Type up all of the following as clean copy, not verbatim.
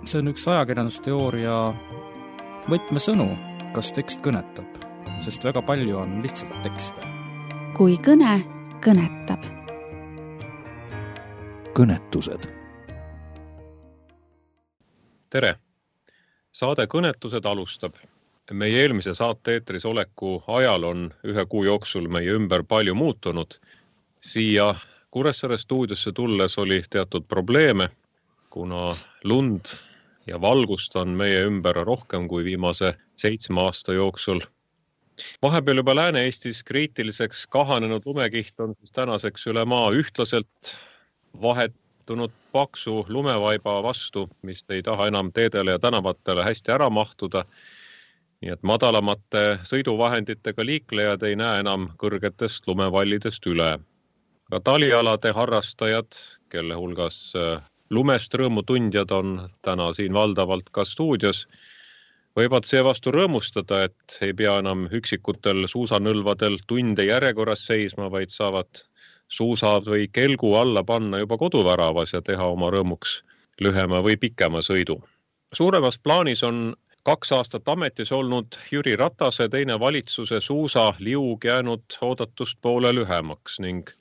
See on üks ajakirjandusteooria võtmesõnu, kas tekst kõnetab, sest väga palju on lihtsalt tekste. Kui kõne kõnetab. Kõnetused. Tere! Saade Kõnetused alustab. Meie eelmise saate eetris oleku ajal on 1 kuu jooksul meie ümber palju muutunud. Siia Kuressaare stuudiosse tulles oli teatud probleeme, kuna lund ja valgust on meie ümber rohkem kui viimase 7 aasta jooksul. Vahepeal juba Lääne-Eestis kriitiliseks kahanenud lumekiht on tänaseks üle maa ühtlaselt vahetunud paksu lumevaiba vastu, mis ei taha enam teedele ja tänavatele hästi ära mahtuda. Nii et madalamate sõiduvahenditega liiklejad ei näe enam kõrgetest lumevallidest üle. Ka talialade harrastajad, kelle hulgas lumest rõõmutundjad on täna siin valdavalt ka stuudios, võivad seevastu rõõmustada, et ei pea enam üksikutel suusanõlvadel tunde järjekorras seisma, vaid saavad suusad või kelgu alla panna juba koduväravas ja teha oma rõõmuks lühema või pikema sõidu. Suuremas plaanis on 2 aastat ametis olnud Jüri Ratase teine valitsuse suusaliug jäänud oodatust poole lühemaks ning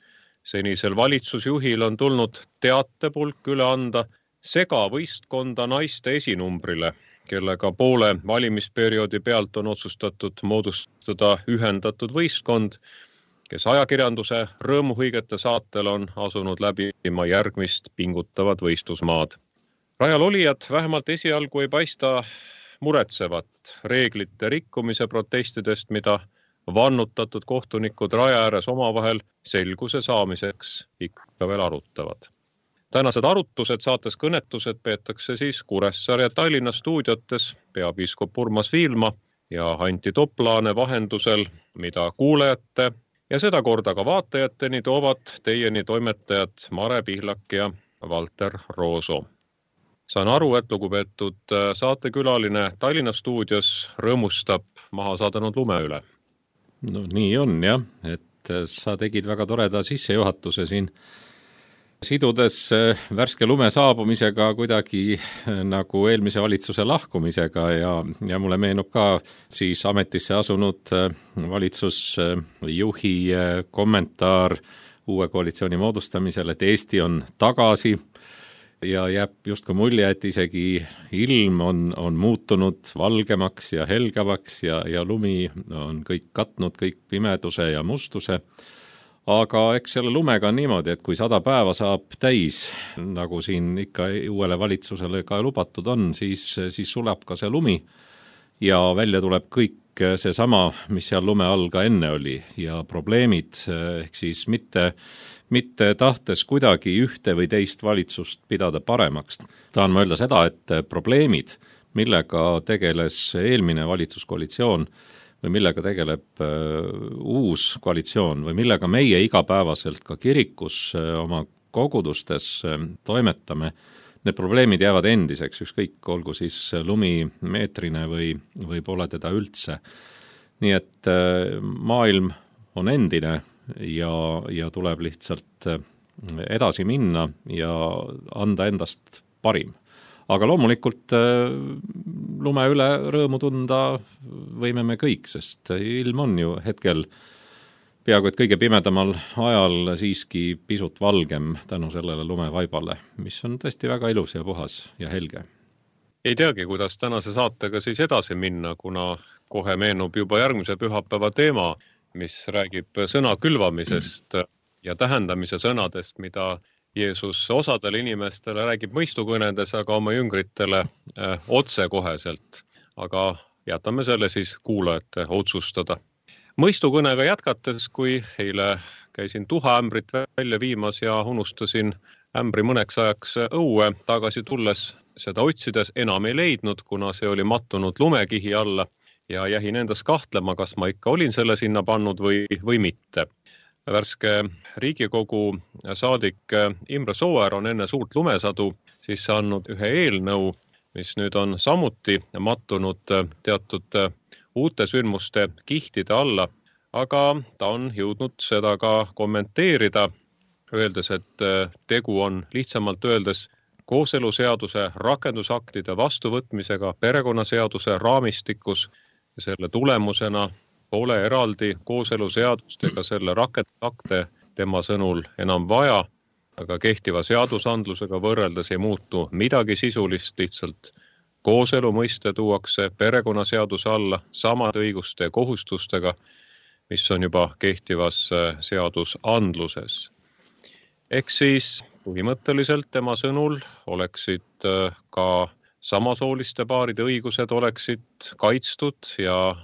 senisel valitsusjuhil on tulnud teatepulk üle anda segavõistkonda naiste esinumbrile, kellega poole valimisperioodi pealt on otsustatud moodustada ühendatud võistkond, kes ajakirjanduse rõõmuhõigete saatel on asunud läbima järgmist pingutavat võistlusmaad. Rajal olijad vähemalt esialgu ei paista muretsevat reeglite rikkumise protestidest, mida vannutatud kohtunikud raja ääres omavahel selguse saamiseks ikka veel arutavad. Tänased arutused saates Kõnetused peetakse siis Kuressaare ja Tallinna stuudiotes peapiiskop Urmas Viilma ja Anti Toplaane vahendusel, mida kuulajate ja seda korda ka vaatajateni toovad teieni toimetajad Mare Pihlak ja Valter Rooso. Saan aru, et lugupeetud saatekülaline Tallinna stuudios rõõmustab maha saadanud lume üle. No nii on jah, et sa tegid väga toreda sissejuhatuse siin, sidudes värske lume saabumisega kuidagi nagu eelmise valitsuse lahkumisega ja mulle meenub ka siis ametisse asunud valitsusjuhi kommentaar uue koalitsiooni moodustamisel, et Eesti on tagasi ja jääb justkui mulje, et isegi ilm on muutunud valgemaks ja helgavaks ja lumi on kõik katnud, kõik pimeduse ja mustuse. Aga eks selle lumega on niimoodi, et kui 100 päeva saab täis, nagu siin ikka uuele valitsusele ka lubatud on, siis sulab ka see lumi ja välja tuleb kõik seesama, mis seal lume all ka enne oli ja probleemid, ehk siis mitte tahtes kuidagi ühte või teist valitsust pidada paremaks. Tahan ma öelda seda, et probleemid, millega tegeles eelmine valitsuskoalitsioon või millega tegeleb uus koalitsioon või millega meie igapäevaselt ka kirikus oma kogudustes toimetame, need probleemid jäävad endiseks, ükskõik, olgu siis lumi meetrine või pole teda üldse. Nii et maailm on endine ja tuleb lihtsalt edasi minna ja anda endast parim. Aga loomulikult lume üle rõõmu tunda võime me kõik, sest ilm on ju hetkel peaaegu et kõige pimedamal ajal siiski pisut valgem tänu sellele lumevaibale, mis on tõesti väga ilus ja puhas ja helge. Ei teagi, kuidas tänase saatega siis edasi minna, kuna kohe meenub juba järgmise pühapäeva teema, mis räägib sõna külvamisest ja tähendamise sõnadest, mida Jeesus osadele inimestele räägib mõistukõnedes, aga oma jüngritele otsekoheselt. Aga jätame selle siis kuulajate otsustada. Mõistukõnega jätkates, kui eile käisin tuhaämbrit välja viimas ja unustasin ämbri mõneks ajaks õue, tagasi tulles seda otsides enam ei leidnud, kuna see oli mattunud lumekihi alla ja jähin endas kahtlema, kas ma ikka olin selle sinna pannud või mitte. Värske Riigikogu saadik Imre Sooäär on enne suurt lumesadu sisse andnud ühe eelnõu, mis nüüd on samuti mattunud teatud uute sündmuste kihtide alla, aga ta on jõudnud seda ka kommenteerida, öeldes, et tegu on lihtsamalt öeldes kooseluseaduse rakendusaktide vastuvõtmisega perekonnaseaduse raamistikus ja selle tulemusena pole eraldi kooseluseadust ega selle rakendusakte tema sõnul enam vaja, aga kehtiva seadusandlusega võrreldes ei muutu midagi sisulist, lihtsalt kooselu mõiste tuuakse perekonnaseaduse alla samade õiguste ja kohustustega, mis on juba kehtivas seadusandluses. Ehk siis põhimõtteliselt tema sõnul oleksid ka samasooliste paaride õigused oleksid kaitstud ja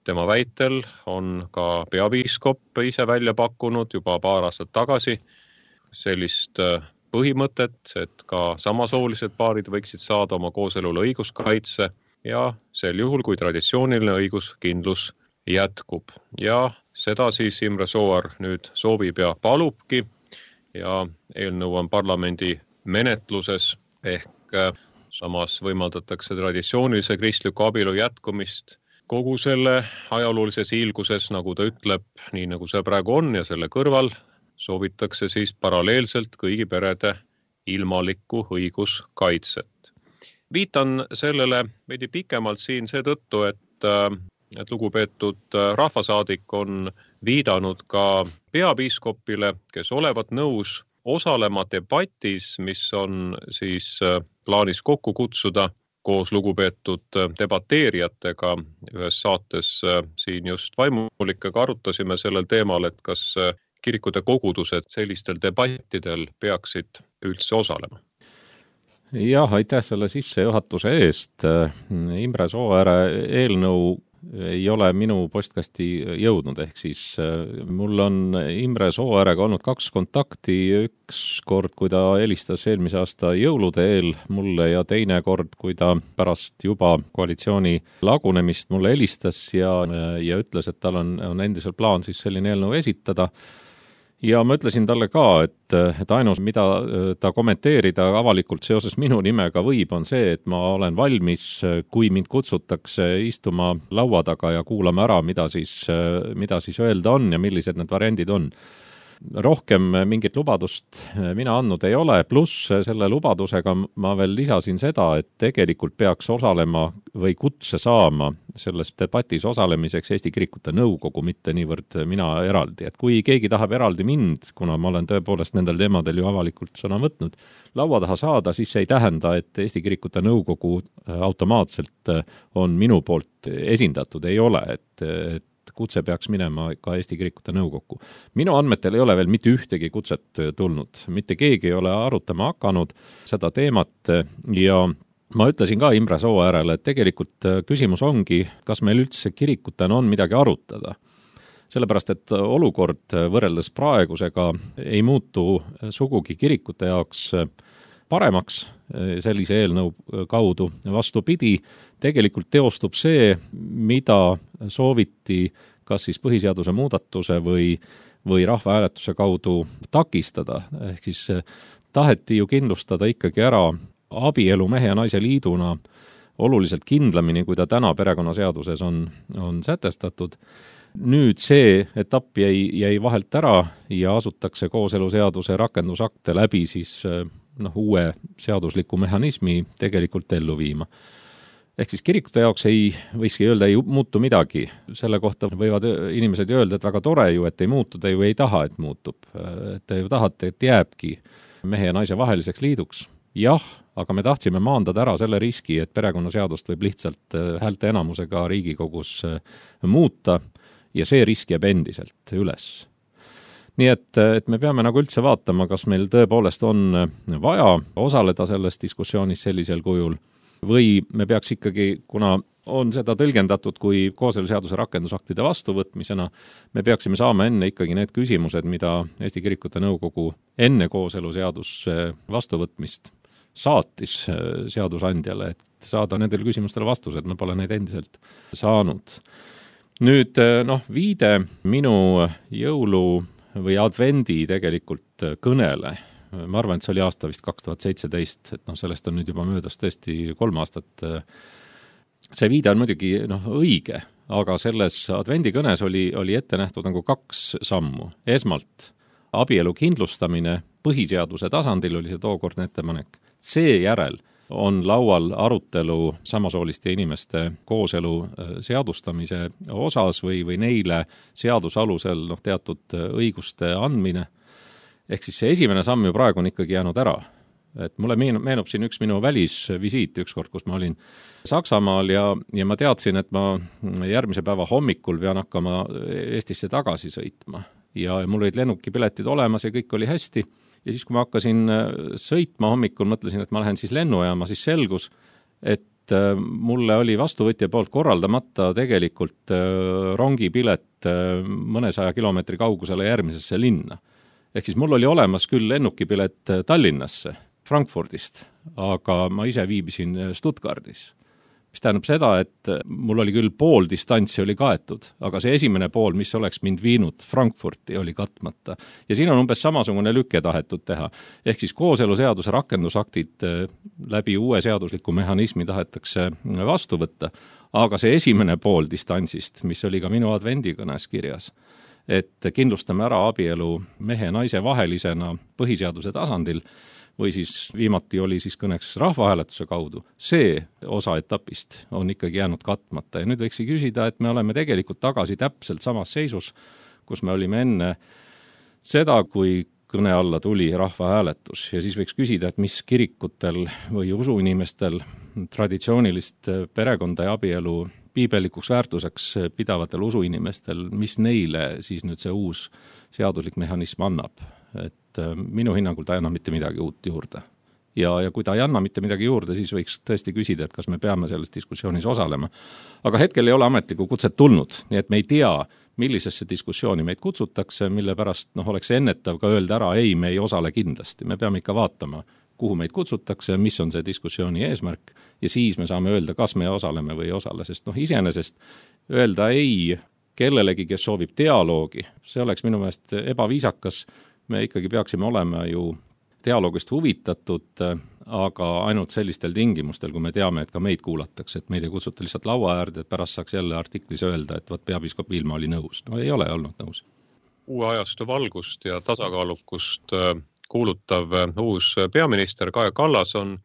tema väitel on ka peapiiskop ise välja pakkunud juba paar aastat tagasi sellist põhimõtet, et ka samasoolised paarid võiksid saada oma kooselule õiguskaitse ja sel juhul, kui traditsiooniline õiguskindlus jätkub. Ja seda siis Imre Sooäär nüüd soovib ja palubki ja eelnõu on parlamendi menetluses ehk samas võimaldatakse traditsioonilise kristliku abielu jätkumist kogu selle ajaloolises hiilguses, nagu ta ütleb, nii nagu see praegu on ja selle kõrval soovitakse siis paralleelselt kõigi perede ilmalikku õiguskaitset. Viitan sellele veidi pikemalt siin seetõttu, et lugupeetud rahvasaadik on viidanud ka peapiiskopile, kes olevat nõus osalema debatis, mis on siis plaanis kokku kutsuda koos lugupeetud debateerijatega. Ühes saates siin just vaimulikega arutasime sellel teemal, et kas kirikute kogudused sellistel debattidel peaksid üldse osalema. Jah, aitäh selle sissejuhatuse eest. Imre Sooääre eelnõu ei ole minu postkasti jõudnud, ehk siis mul on Imre Sooäärega olnud 2 kontakti, üks kord, kui ta helistas eelmise aasta jõulude eel mulle ja teine kord, kui ta pärast juba koalitsiooni lagunemist mulle helistas ja ütles, et tal on endiselt plaan siis selline eelnõu esitada. Ja ma ütlesin talle ka, et ainus, mida ta kommenteerida avalikult seoses minu nimega võib, on see, et ma olen valmis, kui mind kutsutakse istuma laua taga ja kuulame ära, mida siis öelda on ja millised need variandid on. Rohkem mingit lubadust mina andnud ei ole, pluss selle lubadusega ma veel lisasin seda, et tegelikult peaks osalema või kutse saama selles debatis osalemiseks Eesti Kirikute Nõukogu, mitte niivõrd mina eraldi. Et kui keegi tahab eraldi mind, kuna ma olen tõepoolest nendel teemadel ju avalikult sõna võtnud, laua taha saada, siis see ei tähenda, et Eesti Kirikute Nõukogu automaatselt on minu poolt esindatud, ei ole, et kutse peaks minema ka Eesti Kirikute Nõukokku. Minu andmetel ei ole veel mitte ühtegi kutset tulnud, mitte keegi ei ole arutama hakanud seda teemat ja ma ütlesin ka Imre Sooäärele, et tegelikult küsimus ongi, kas meil üldse kirikutena on midagi arutada. Sellepärast, et olukord võrreldes praegusega ei muutu sugugi kirikute jaoks paremaks sellise eelnõu kaudu. Vastupidi, tegelikult teostub see, mida sooviti kas siis põhiseaduse muudatuse või rahvahääletuse kaudu takistada. Ehk siis taheti ju kindlustada ikkagi ära abielu mehe ja naise liiduna oluliselt kindlamini, kui ta täna perekonnaseaduses on sätestatud. Nüüd see etapp jäi vahelt ära ja asutakse kooseluseaduse rakendusakte läbi siis uue seadusliku mehhanismi tegelikult ellu viima. Ehk siis kirikute jaoks võikski öelda, ei muutu midagi. Selle kohta võivad inimesed öelda, et väga tore ju, et ei muutu, te ju ei taha, et muutub. Et te ju tahate, et jääbki mehe ja naise vaheliseks liiduks. Jah, aga me tahtsime maandada ära selle riski, et perekonnaseadust võib lihtsalt häälte enamusega Riigikogus muuta ja see risk jääb endiselt üles. Nii et me peame nagu üldse vaatama, kas meil tõepoolest on vaja osaleda selles diskussioonis sellisel kujul või me peaks ikkagi, kuna on seda tõlgendatud kui kooseluseaduse rakendusaktide vastuvõtmisena, me peaksime saama enne ikkagi need küsimused, mida Eesti Kirikute Nõukogu enne kooseluseaduse vastuvõtmist saatis seadusandjale, et saada nendele küsimustele vastused, me pole neid endiselt saanud. Nüüd viide minu jõulu või advendi tegelikult kõnele. Ma arvan, et see oli aasta vist 2017, et sellest on nüüd juba möödas tõesti 3 aastat. See viide on muidugi õige, aga selles advendikõnes oli ette nähtud nagu 2 sammu. Esmalt abielu kindlustamine põhiseaduse tasandil oli see tookordne ettepanek. seejärel on laual arutelu samasooliste inimeste kooselu seadustamise osas või neile seaduse alusel teatud õiguste andmine. Ehk siis see esimene samm ju praegu on ikkagi jäänud ära. Et mulle meenub siin üks minu välisvisiit ükskord, kus ma olin Saksamaal ja ma teadsin, et ma järgmise päeva hommikul pean hakkama Eestisse tagasi sõitma. Ja mul olid lennukipiletid olemas ja kõik oli hästi. Ja siis, kui ma hakkasin sõitma hommikul, mõtlesin, et ma lähen siis lennujaama, siis selgus, et mulle oli vastuvõtja poolt korraldamata tegelikult rongipilet mõnesaja kilomeetri kaugusele järgmisesse linna. Ehk siis mul oli olemas küll lennukipilet Tallinnasse, Frankfurdist, aga ma ise viibisin Stuttgardis. Mis tähendab seda, et mul oli küll pool distantsi oli kaetud, aga see esimene pool, mis oleks mind viinud Frankfurti, oli katmata. Ja siin on umbes samasugune lüke tahetud teha. Ehk siis kooseluseaduse rakendusaktid läbi uue seadusliku mehhanismi tahetakse vastu võtta, aga see esimene pool distantsist, mis oli ka minu advendikõnes kirjas, et kindlustame ära abielu mehe ja naise vahelisena põhiseaduse tasandil, või siis viimati oli siis kõneks rahvahääletuse kaudu, see osa etapist on ikkagi jäänud katmata. Ja nüüd võiks küsida, et me oleme tegelikult tagasi täpselt samas seisus, kus me olime enne seda, kui kõne alla tuli rahvahääletus. Ja siis võiks küsida, et mis kirikutel või usuinimestel, traditsioonilist perekonda ja abielu piibelikuks väärtuseks pidavatel usuinimestel, mis neile siis nüüd see uus seaduslik mehhanism annab. Et minu hinnangul ta ei anna mitte midagi uut juurde. Ja kui ta ei anna mitte midagi juurde, siis võiks tõesti küsida, et kas me peame selles diskussioonis osalema. Aga hetkel ei ole ametlikku kutset tulnud, nii et me ei tea, millisesse diskussiooni meid kutsutakse, mille pärast oleks ennetav ka öelda ära, ei, me ei osale kindlasti. Me peame ikka vaatama, kuhu meid kutsutakse, mis on see diskussiooni eesmärk ja siis me saame öelda, kas me osaleme või ei osale, sest iseenesest öelda ei kellelegi, kes soovib dialoogi, see oleks minu meelest ebaviisakas. Me ikkagi peaksime olema ju dialoogist huvitatud, aga ainult sellistel tingimustel, kui me teame, et ka meid kuulatakse, et meid ei kutsuta lihtsalt laua äärde, et pärast saaks jälle artiklis öelda, et peapiiskop Viilma oli nõus. No ei ole olnud nõus. Uue ajastu valgust ja tasakaalukust kuulutav uus peaminister Kaja Kallas on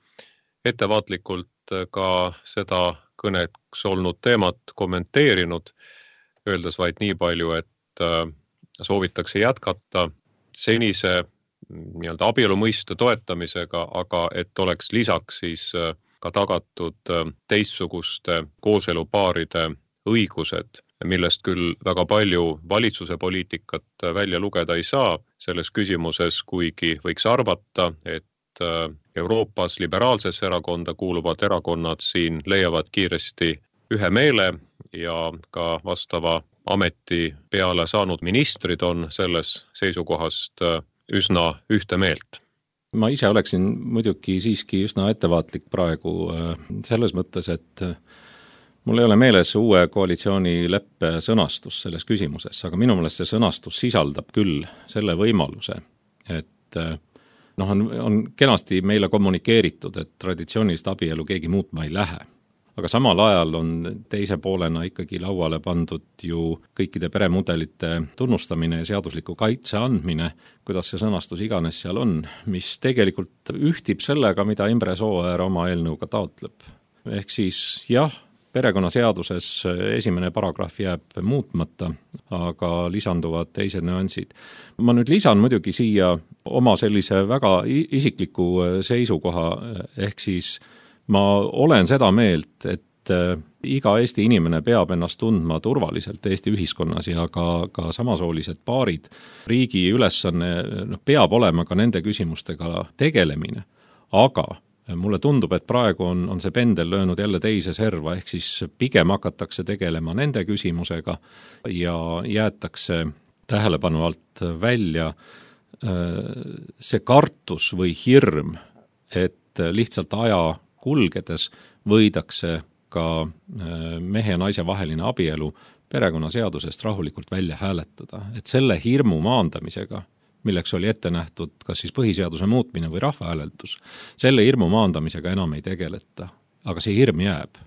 ettevaatlikult ka seda kõneks olnud teemat kommenteerinud, öeldes vaid nii palju, et soovitakse jätkata senise abielu mõiste toetamisega, aga et oleks lisaks siis ka tagatud teistsuguste kooselupaaride õigused, millest küll väga palju valitsuse poliitikat välja lugeda ei saa selles küsimuses, kuigi võiks arvata, et Euroopas liberaalsesse erakonda kuuluvad erakonnad siin leiavad kiiresti ühe meele ja ka vastava ameti peale saanud ministrid on selles seisukohast üsna ühte meelt. Ma ise oleksin muidugi siiski üsna ettevaatlik praegu selles mõttes, et mul ei ole meeles uue koalitsioonileppe sõnastus selles küsimuses, aga minu meelest see sõnastus sisaldab küll selle võimaluse, et on kenasti meile kommunikeeritud, et traditsioonilist abielu keegi muutma ei lähe. Aga samal ajal on teise poolena ikkagi lauale pandud ju kõikide peremudelite tunnustamine ja seadusliku kaitse andmine, kuidas see sõnastus iganes seal on, mis tegelikult ühtib sellega, mida Imre Sooäär oma eelnõuga taotleb. Ehk siis jah, perekonnaseaduses esimene paragrahv jääb muutmata, aga lisanduvad teised nüansid. Ma nüüd lisan muidugi siia oma sellise väga isikliku seisukoha, ehk siis ma olen seda meelt, et iga Eesti inimene peab ennast tundma turvaliselt Eesti ühiskonnas ja ka samasoolised paarid. Riigi ülesanne peab olema ka nende küsimustega tegelemine, aga mulle tundub, et praegu on see pendel löönud jälle teise serva, ehk siis pigem hakatakse tegelema nende küsimusega ja jäetakse tähelepanu alt välja see kartus või hirm, et lihtsalt aja kulgedes võidakse ka mehe ja naise vaheline abielu perekonnaseadusest rahulikult välja hääletada. Et selle hirmu maandamisega, milleks oli ette nähtud kas siis põhiseaduse muutmine või rahvahääletus, selle hirmu maandamisega enam ei tegeleta, aga see hirm jääb.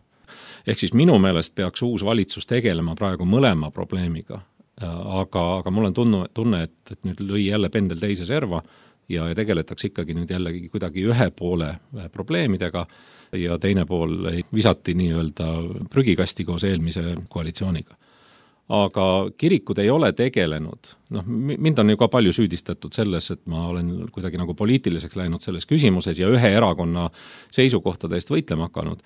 Ehk siis minu meelest peaks uus valitsus tegelema praegu mõlema probleemiga, aga mul on tunne, et nüüd lõi jälle pendel teise serva, ja tegeletakse ikkagi nüüd jällegi kuidagi ühe poole probleemidega ja teine pool visati nii-öelda prügikasti koos eelmise koalitsiooniga. Aga kirikud ei ole tegelenud, mind on ju ka palju süüdistatud selles, et ma olen kuidagi nagu poliitiliseks läinud selles küsimuses ja ühe erakonna seisukohtade eest võitlema hakanud.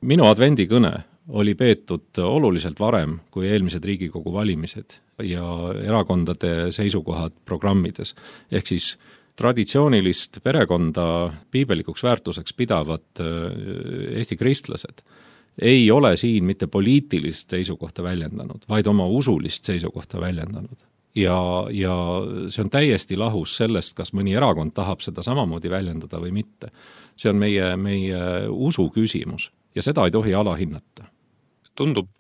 Minu advendikõne oli peetud oluliselt varem kui eelmised Riigikogu valimised ja erakondade seisukohad programmides. Ehk siis traditsioonilist perekonda piibelikuks väärtuseks pidavad Eesti kristlased ei ole siin mitte poliitilist seisukohta väljendanud, vaid oma usulist seisukohta väljendanud. Ja see on täiesti lahus sellest, kas mõni erakond tahab seda samamoodi väljendada või mitte. See on meie usu küsimus ja seda ei tohi alahinnata. Tundub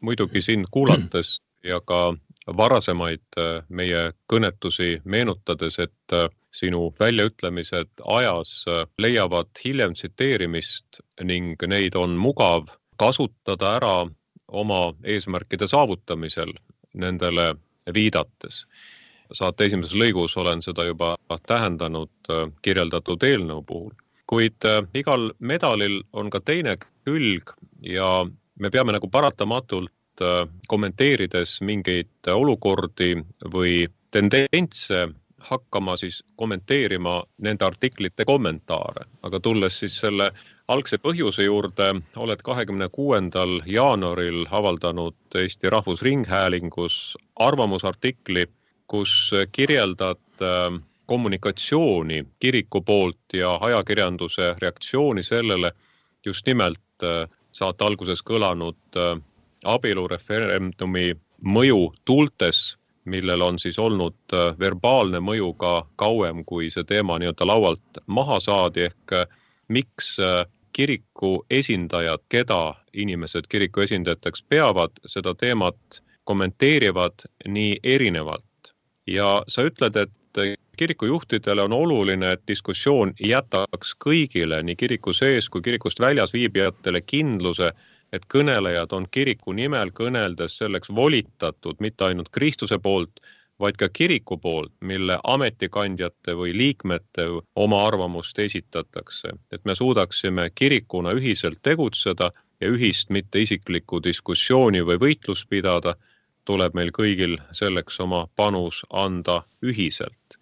muidugi sind kuulates ja ka varasemaid meie kõnetusi meenutades, et sinu väljaütlemised ajas leiavad hiljem tsiteerimist ning neid on mugav kasutada ära oma eesmärkide saavutamisel nendele viidates. Saate esimeses lõigus olen seda juba tähendanud kirjeldatud eelnõu puhul. Kuid igal medalil on ka teine külg ja me peame nagu paratamatult kommenteerides mingeid olukordi või tendentse hakkama siis kommenteerima nende artiklite kommentaare. Aga tulles siis selle algse põhjuse juurde, oled 26. jaanuaril avaldanud Eesti Rahvusringhäälingus arvamusartikli, kus kirjeldad kommunikatsiooni kiriku poolt ja ajakirjanduse reaktsiooni sellele just nimelt saate alguses kõlanud abielureferendumi mõju tuultes, millel on siis olnud verbaalne mõju ka kauem, kui see teema nii-öelda laualt maha saadi, ehk miks kiriku esindajad, keda inimesed kiriku esindajateks peavad, seda teemat kommenteerivad nii erinevalt. Ja sa ütled, et kirikujuhtidele on oluline, et diskussioon jätaks kõigile, nii kiriku sees kui kirikust väljas viibijatele kindluse, et kõnelejad on kiriku nimel kõneldes selleks volitatud mitte ainult Kristuse poolt, vaid ka kiriku poolt, mille ametikandjate või liikmete oma arvamust esitatakse. Et me suudaksime kirikuna ühiselt tegutseda ja ühist mitte isiklikku diskussiooni või võitlust pidada, tuleb meil kõigil selleks oma panus anda ühiselt.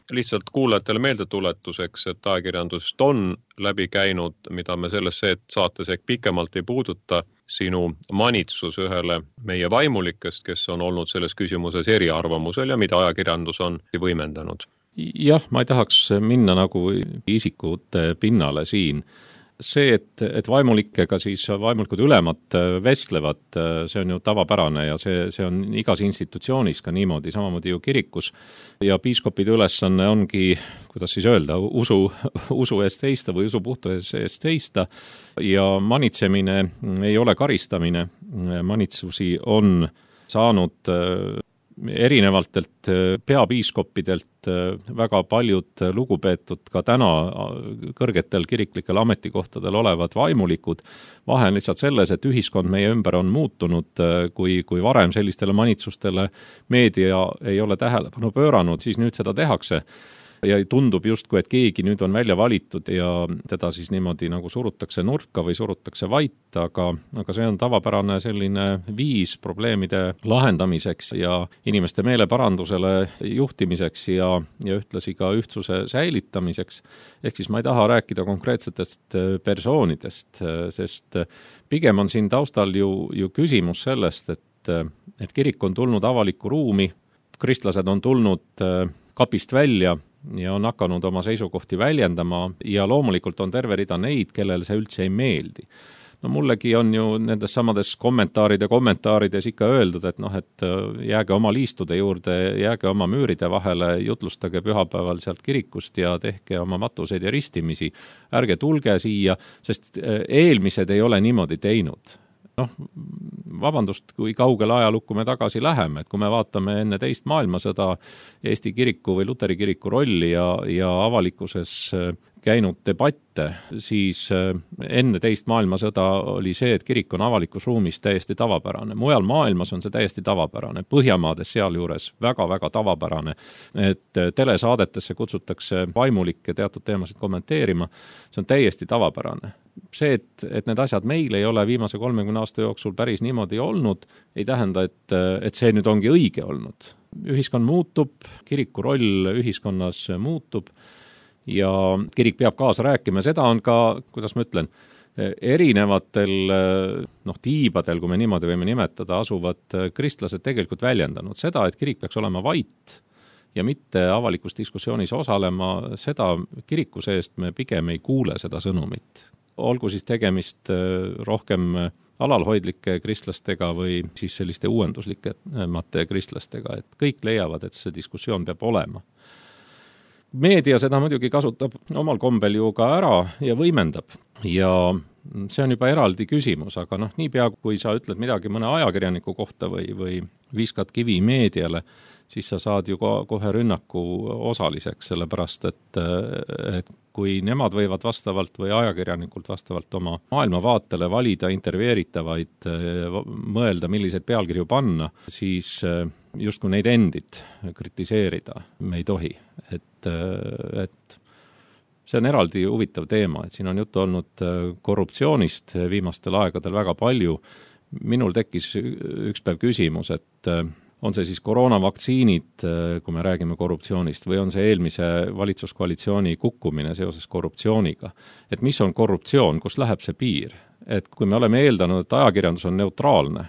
Lihtsalt kuulajatele meeldetuletuseks, et ajakirjandust on läbi käinud, mida me selles saates ehk pikemalt ei puuduta, sinu manitsus ühele meie vaimulikest, kes on olnud selles küsimuses eriarvamusel ja mida ajakirjandus on võimendanud. Jah, ma ei tahaks minna nagu isikute pinnale siin. See, et vaimulikega siis vaimulikud ülemad vestlevad, see on ju tavapärane ja see on igas institutsioonis ka niimoodi, samamoodi ju kirikus. Ja piiskopide ülesanne ongi, kuidas siis öelda, usu eest seista või usu puhtuse eest seista. Ja manitsemine ei ole karistamine. Manitsusi on saanud erinevatelt peapiiskopidelt väga paljud lugupeetud ka täna kõrgetel kiriklikel ametikohtadel olevad vaimulikud. Vahe on lihtsalt selles, et ühiskond meie ümber on muutunud, kui varem sellistele manitsustele meedia ei ole tähelepanu pööranud, siis nüüd seda tehakse. Ja tundub justkui, et keegi nüüd on välja valitud ja teda siis niimoodi nagu surutakse nurka või surutakse vait, aga see on tavapärane selline viis probleemide lahendamiseks ja inimeste meeleparandusele juhtimiseks ja ühtlasi ka ühtsuse säilitamiseks. Ehk siis ma ei taha rääkida konkreetsetest persoonidest, sest pigem on siin taustal ju küsimus sellest, et kirik on tulnud avalikku ruumi, kristlased on tulnud kapist välja ja on hakanud oma seisukohti väljendama ja loomulikult on terve rida neid, kellel see üldse ei meeldi. No mullegi on ju nendes samades kommentaarides ikka öeldud, et jääge oma liistude juurde, jääge oma müüride vahele, jutlustage pühapäeval sealt kirikust ja tehke oma matuseid ja ristimisi. Ärge tulge siia, sest eelmised ei ole niimoodi teinud. Vabandust, kui kaugele ajalukku me tagasi läheme, et kui me vaatame enne teist maailmasõda Eesti kiriku või Luteri kiriku rolli ja avalikkuses käinud debatte, siis enne teist maailmasõda oli see, et kirik on avalikus ruumis täiesti tavapärane. Mujal maailmas on see täiesti tavapärane. Põhjamaades sealjuures väga-väga tavapärane, et telesaadetesse kutsutakse vaimulikke teatud teemasid kommenteerima. See on täiesti tavapärane. See, et need asjad meil ei ole viimase 30 aasta jooksul päris niimoodi olnud, ei tähenda, et see nüüd ongi õige olnud. Ühiskond muutub, kiriku roll ühiskonnas muutub ja kirik peab kaasa rääkima. Seda on ka, kuidas ma ütlen, erinevatel tiibadel, kui me niimoodi võime nimetada, asuvad kristlased tegelikult väljendanud. Seda, et kirik peaks olema vait ja mitte avalikus diskussioonis osalema, seda kiriku seest me pigem ei kuule seda sõnumit. Olgu siis tegemist rohkem alalhoidlike kristlastega või siis selliste uuenduslikemate kristlastega, et kõik leiavad, et see diskussioon peab olema. Meedia seda muidugi kasutab omal kombel ju ka ära ja võimendab ja see on juba eraldi küsimus, aga niipea kui sa ütled midagi mõne ajakirjaniku kohta või viskad kivi meediale, siis sa saad ju kohe rünnaku osaliseks, sellepärast et kui nemad võivad vastavalt või ajakirjanikult vastavalt oma maailmavaatele valida intervjueeritavaid, mõelda, milliseid pealkirju panna, siis justkui neid endid kritiseerida me ei tohi. Et see on eraldi huvitav teema, et siin on juttu olnud korruptsioonist viimastel aegadel väga palju. Minul tekkis üks päev küsimus, et on see siis koroonavaktsiinid, kui me räägime korruptsioonist, või on see eelmise valitsuskoalitsiooni kukkumine seoses korruptsiooniga. Et mis on korruptsioon, kus läheb see piir? Et kui me oleme eeldanud, et ajakirjandus on neutraalne,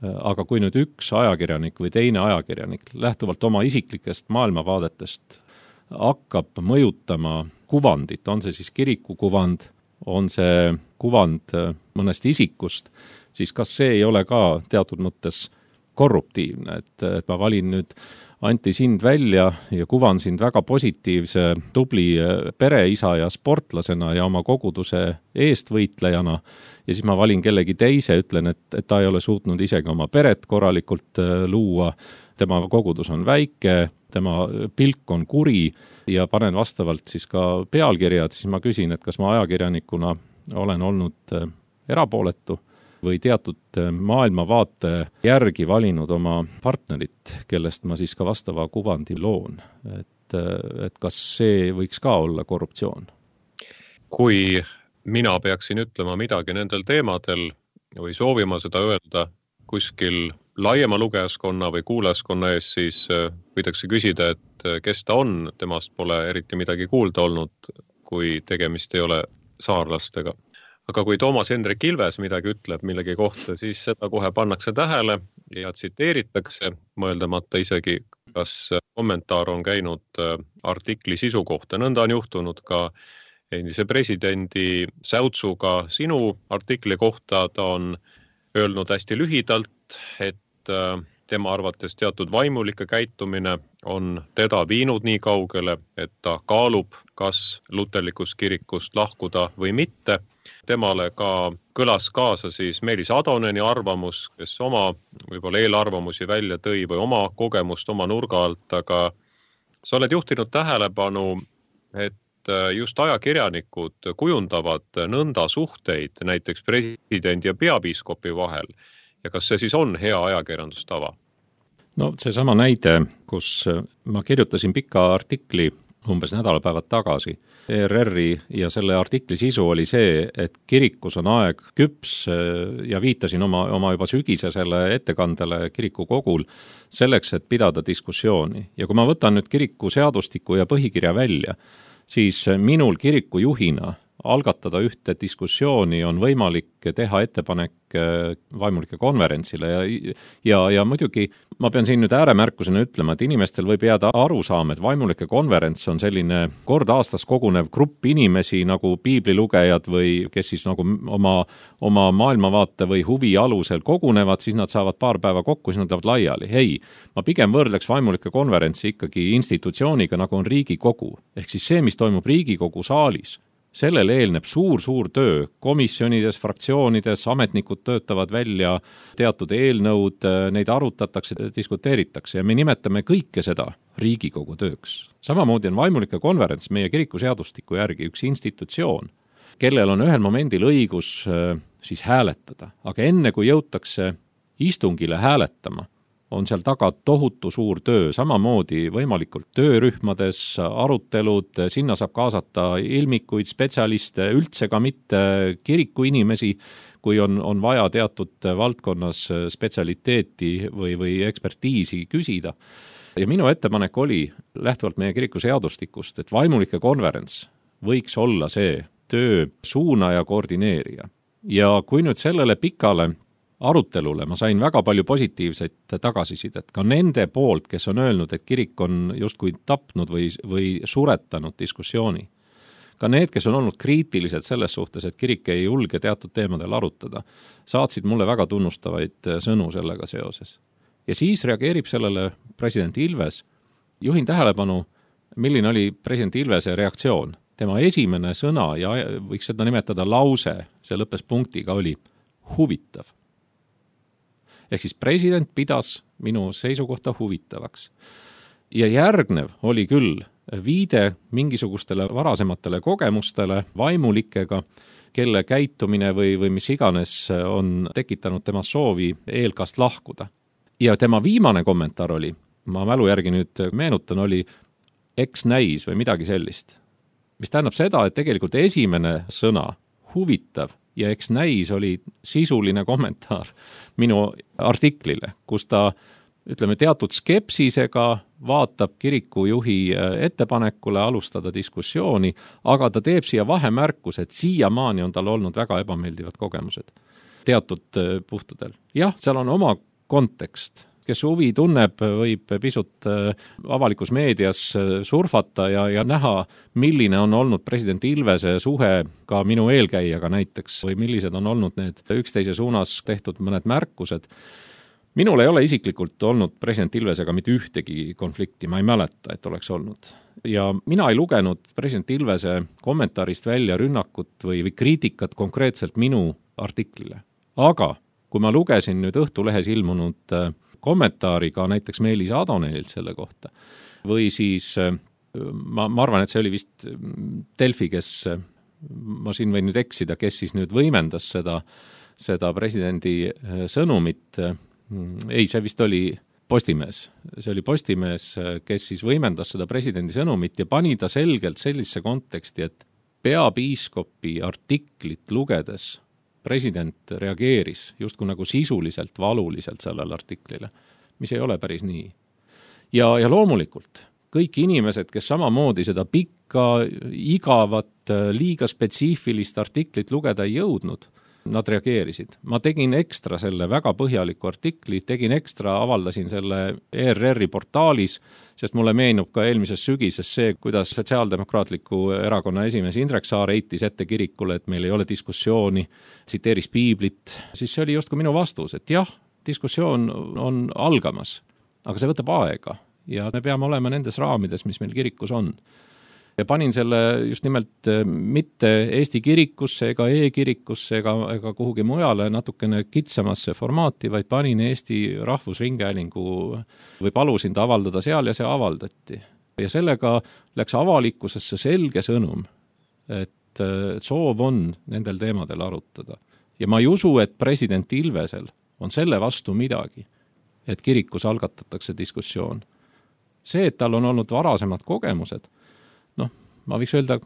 aga kui nüüd üks ajakirjanik või teine ajakirjanik lähtuvalt oma isiklikest maailmavaadetest hakkab mõjutama kuvandit, on see siis kiriku kuvand, on see kuvand mõnest isikust, siis kas see ei ole ka teatud mõttes korruptiivne, et ma valin nüüd Anti sind välja ja kuvan sind väga positiivse, tubli pereisa ja sportlasena ja oma koguduse eestvõitlejana ja siis ma valin kellegi teise, ütlen, et ta ei ole suutnud isegi oma peret korralikult luua, tema kogudus on väike, tema pilk on kuri ja panen vastavalt siis ka pealkirjad, siis ma küsin, et kas ma ajakirjanikuna olen olnud erapooletu või teatud maailmavaate järgi valinud oma partnerit, kellest ma siis ka vastava kuvandi loon. Et kas see võiks ka olla korruptsioon? Kui mina peaksin ütlema midagi nendel teemadel või soovima seda öelda kuskil laiema lugejaskonna või kuulajaskonna ees, siis võidakse küsida, et kes ta on, temast pole eriti midagi kuulda olnud, kui tegemist ei ole saarlastega. Aga kui Toomas Hendrik Ilves midagi ütleb millegi kohta, siis seda kohe pannakse tähele ja tsiteeritakse, mõeldamata isegi, kas kommentaar on käinud artikli sisu kohta. Nõnda on juhtunud ka endise presidendi Säutsuga sinu artikli kohta. Ta on öelnud hästi lühidalt, et tema arvates teatud vaimulike käitumine on teda viinud nii kaugele, et ta kaalub, kas luterlikust kirikust lahkuda või mitte. Temale ka kõlas kaasa siis Meelis Adoneni arvamus, kes oma võib-olla eelarvamusi välja tõi või oma kogemust oma nurga alt, aga sa oled juhtinud tähelepanu, et just ajakirjanikud kujundavad nõnda suhteid näiteks presidendi ja peapiiskopi vahel. Ja kas see siis on hea ajakirjandustava? No see sama näide, kus ma kirjutasin pika artikli umbes nädalapäevad tagasi. ERR-i ja selle artikli sisu oli see, et kirikus on aeg küps ja viitasin oma juba sügisesele ettekandele kirikukogul selleks, et pidada diskussiooni. Ja kui ma võtan nüüd kiriku seadustiku ja põhikirja välja, siis minul kiriku juhina algatada ühte diskussiooni on võimalik teha ettepanek vaimulike konverentsile ja muidugi ma pean siin nüüd ääremärkusena ütlema, et inimestel võib jääda arusaam, et vaimulike konverents on selline kord aastas kogunev grupp inimesi nagu piiblilugejad või kes siis nagu oma maailmavaate või huvi alusel kogunevad, siis nad saavad paar päeva kokku, siis nad lähevad laiali. Ei, ma pigem võrdleks vaimulike konverentsi ikkagi institutsiooniga, nagu on Riigikogu. Ehk siis see, mis toimub Riigikogu saalis, sellele eelneb suur töö komisjonides, fraktsioonides, ametnikud töötavad välja teatud eelnõud, neid arutatakse, diskuteeritakse ja me nimetame kõike seda Riigikogu tööks. Samamoodi on vaimulike konverents meie kirikuseadustiku järgi üks institutsioon, kellel on ühel momendil õigus siis hääletada. Aga enne kui jõutakse istungile hääletama, on seal taga tohutu suur töö, samamoodi võimalikult töörühmades, arutelud, sinna saab kaasata ilmikuid, spetsialiste, üldse ka mitte kirikuinimesi, kui on vaja teatud valdkonnas spetsialiteeti või ekspertiisi küsida. Ja minu ettepanek oli, lähtuvalt meie kirikuseadustikust, et vaimulike konverents võiks olla see töö suunaja, koordineerija. Ja kui nüüd sellele pikale arutelule ma sain väga palju positiivseid tagasisidet, ka nende poolt, kes on öelnud, et kirik on justkui tapnud või suretanud diskussiooni. Ka need, kes on olnud kriitilised selles suhtes, et kirik ei julge teatud teemadel arutada, saatsid mulle väga tunnustavaid sõnu sellega seoses. Ja siis reageerib sellele president Ilves. Juhin tähelepanu, milline oli president Ilvese reaktsioon. Tema esimene sõna, ja võiks seda nimetada lause, see lõppes punktiga, oli huvitav. Ehk siis president pidas minu seisukohta huvitavaks. Ja järgnev oli küll viide mingisugustele varasematele kogemustele vaimulikega, kelle käitumine või mis iganes on tekitanud tema soovi eelkast lahkuda. Ja tema viimane kommentaar oli, ma mälu järgi nüüd meenutan, oli eks näis või midagi sellist. Mis tähendab seda, et tegelikult esimene sõna, huvitav, ja eks näis oli sisuline kommentaar minu artiklile, kus ta, ütleme, teatud skepsisega vaatab kirikujuhi ettepanekule alustada diskussiooni, aga ta teeb siia vahemärkus, et siiamaani on tal olnud väga ebameeldivad kogemused teatud puhtudel. Jah, seal on oma kontekst. Kes huvi tunneb, võib pisut avalikus meedias surfata ja näha, milline on olnud president Ilvese suhe ka minu eelkäijaga näiteks või millised on olnud need üksteise suunas tehtud mõned märkused. Minul ei ole isiklikult olnud president Ilvesega mitte ühtegi konflikti, ma ei mäleta, et oleks olnud. Ja mina ei lugenud president Ilvese kommentaarist välja rünnakut või kriitikat konkreetselt minu artiklile. Aga kui ma lugesin nüüd Õhtulehes ilmunud kommentaari ka näiteks Meelis Adonenilt selle kohta. Või siis, ma arvan, et see oli vist Delfi, kes, ma siin võin nüüd eksida, kes siis nüüd võimendas seda presidendi sõnumit. Ei, see vist oli Postimees. See oli Postimees, kes siis võimendas seda presidendi sõnumit ja pani ta selgelt sellise konteksti, et peapiiskopi artiklit lugedes president reageeris justkui nagu sisuliselt, valuliselt sellele artiklile, mis ei ole päris nii. Ja loomulikult kõik inimesed, kes samamoodi seda pikka, igavat, liiga spetsiifilist artiklit lugeda ei jõudnud, nad reageerisid. Ma tegin ekstra selle väga põhjaliku artikli, avaldasin selle ERR-i portaalis, sest mulle meenub ka eelmises sügises see, kuidas Sotsiaaldemokraatliku erakonna esimees Indrek Saar heitis ette kirikule, et meil ei ole diskussiooni, tsiteeris piiblit, siis see oli justkui minu vastus, et jah, diskussioon on algamas, aga see võtab aega ja me peame olema nendes raamides, mis meil kirikus on. Ja panin selle just nimelt mitte Eesti kirikusse ega e-kirikusse ega kuhugi mujale natukene kitsamasse formaati, vaid panin Eesti Rahvusringhäälingu või palusin ta avaldada seal ja see avaldati. Ja sellega läks avalikkusesse selge sõnum, et soov on nendel teemadel arutada. Ja ma ei usu, et president Ilvesel on selle vastu midagi, et kirikus algatatakse diskussioon. See, et tal on olnud varasemad kogemused, ma võiks öelda,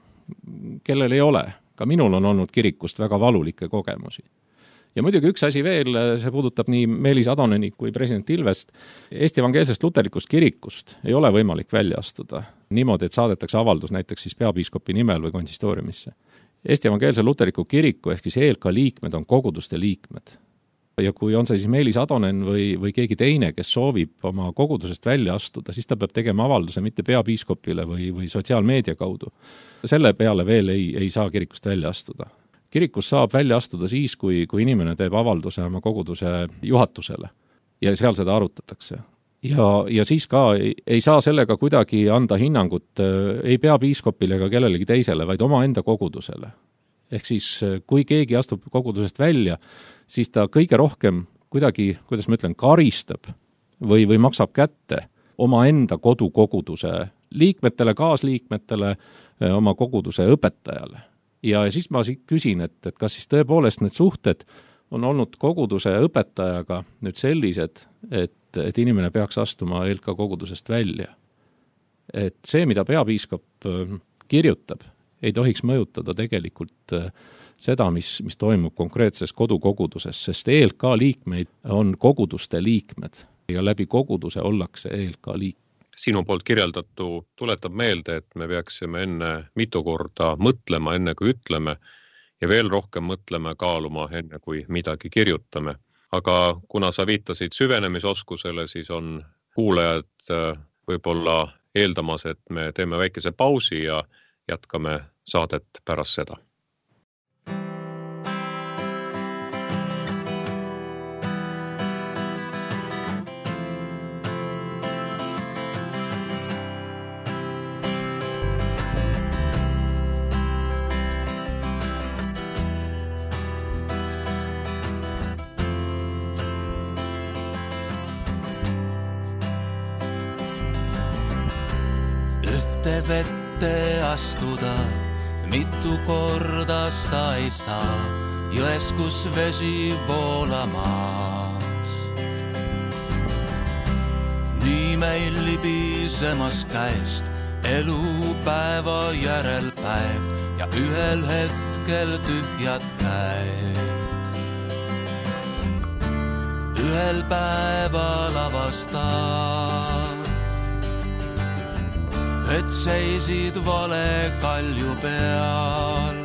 kellel ei ole. Ka minul on olnud kirikust väga valulikke kogemusi. Ja muidugi üks asi veel, see puudutab nii Meelis Adoneni kui president Ilvest. Eesti evangeelsest luterlikust kirikust ei ole võimalik välja astuda niimoodi, et saadetakse avaldus näiteks siis peapiiskopi nimel või konsistooriumisse. Eesti evangeelse luterliku kiriku ehk siis ELK liikmed on koguduste liikmed. Ja kui on see siis Meelis Adonen või keegi teine, kes soovib oma kogudusest välja astuda, siis ta peab tegema avalduse mitte peapiiskopile või sotsiaalmeedia kaudu. Selle peale veel ei saa kirikust välja astuda. Kirikus saab välja astuda siis, kui inimene teeb avalduse oma koguduse juhatusele ja seal seda arutatakse. Ja siis ka ei saa sellega kuidagi anda hinnangut ei peapiiskopile ega kellelegi teisele, vaid oma enda kogudusele. Ehk siis, kui keegi astub kogudusest välja, siis ta kõige rohkem kuidagi, kuidas ma ütlen, karistab või maksab kätte omaenda kodukoguduse liikmetele, kaasliikmetele, oma koguduse õpetajale. Ja siis ma küsin, et kas siis tõepoolest need suhted on olnud koguduse õpetajaga nüüd sellised, et inimene peaks astuma ELK kogudusest välja. Et see, mida peapiiskop kirjutab, ei tohiks mõjutada tegelikult seda, mis toimub konkreetses kodukoguduses, sest ELK liikmeid on koguduste liikmed ja läbi koguduse ollakse ELK liikmed. Sinu poolt kirjeldatu tuletab meelde, et me peaksime enne mitu korda mõtlema, enne kui ütleme, ja veel rohkem mõtlema, kaaluma, enne kui midagi kirjutame. Aga kuna sa viitasid süvenemisoskusele, siis on kuulajad võib-olla eeldamas, et me teeme väikese pausi ja jätkame saadet pärast seda. Vette astuda, mitu korda sa ei saa, jões kus vesi voolamas. Nii meil libisemas käest elupäeva järel päev ja ühel hetkel tühjad käed. Ühel päeval avastad, et seisid vale kalju peal.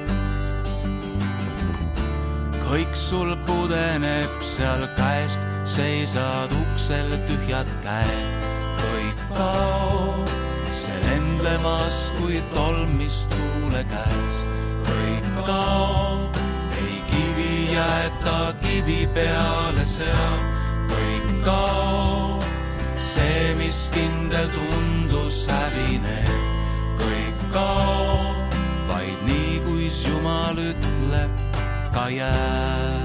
Kõik sul pudeneb seal käest, seisad uksel tühjad käed. Kõik kaob, see lendlemas kui tolmis tuule käest. Kõik kaob, ei kivi jäeta kivi peale seal. Kõik kaob, see, mis kindel tundus hävineb, kõik kaob, vaid nii, kuis Jumal ütleb, ka jääb.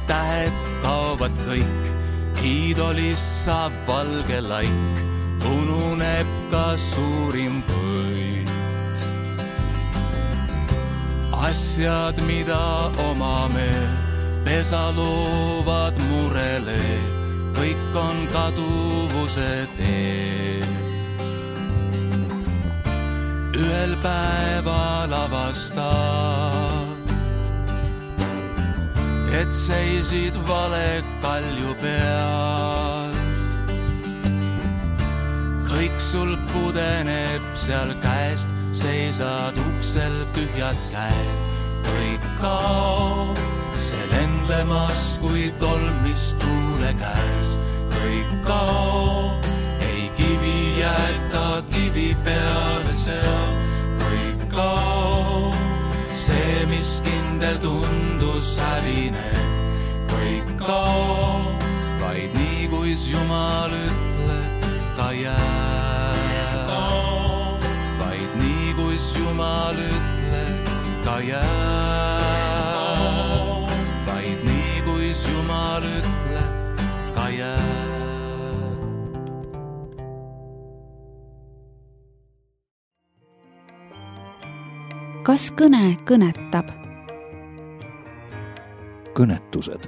Tähed kaovad kõik, hiidolist saab valge laik, ununeb ka suurim võit. Asjad, mida omame, pesa loovad murele, kõik on kaduvuse teel. Ühel päeval avastad, et seisid vale kalju peal. Kõik sul pudeneb seal käest, seisad uksel tühjad käed. Kõik kaob, see lendlemas kui tolmis tuule käest. Kõik kaob, ei kivi jäeta kivi peale seal. Kõik kaob, see, mis kindel tundus hävineb, kõik kaob, vaid nii, kuis Jumal ütleb, ka jääb. Vaid nii, kuis Jumal ütleb, ka jääb. Vaid nii, kuis Jumal ütleb, ka jääb. Kas kõne kõnetab? Kõnetused.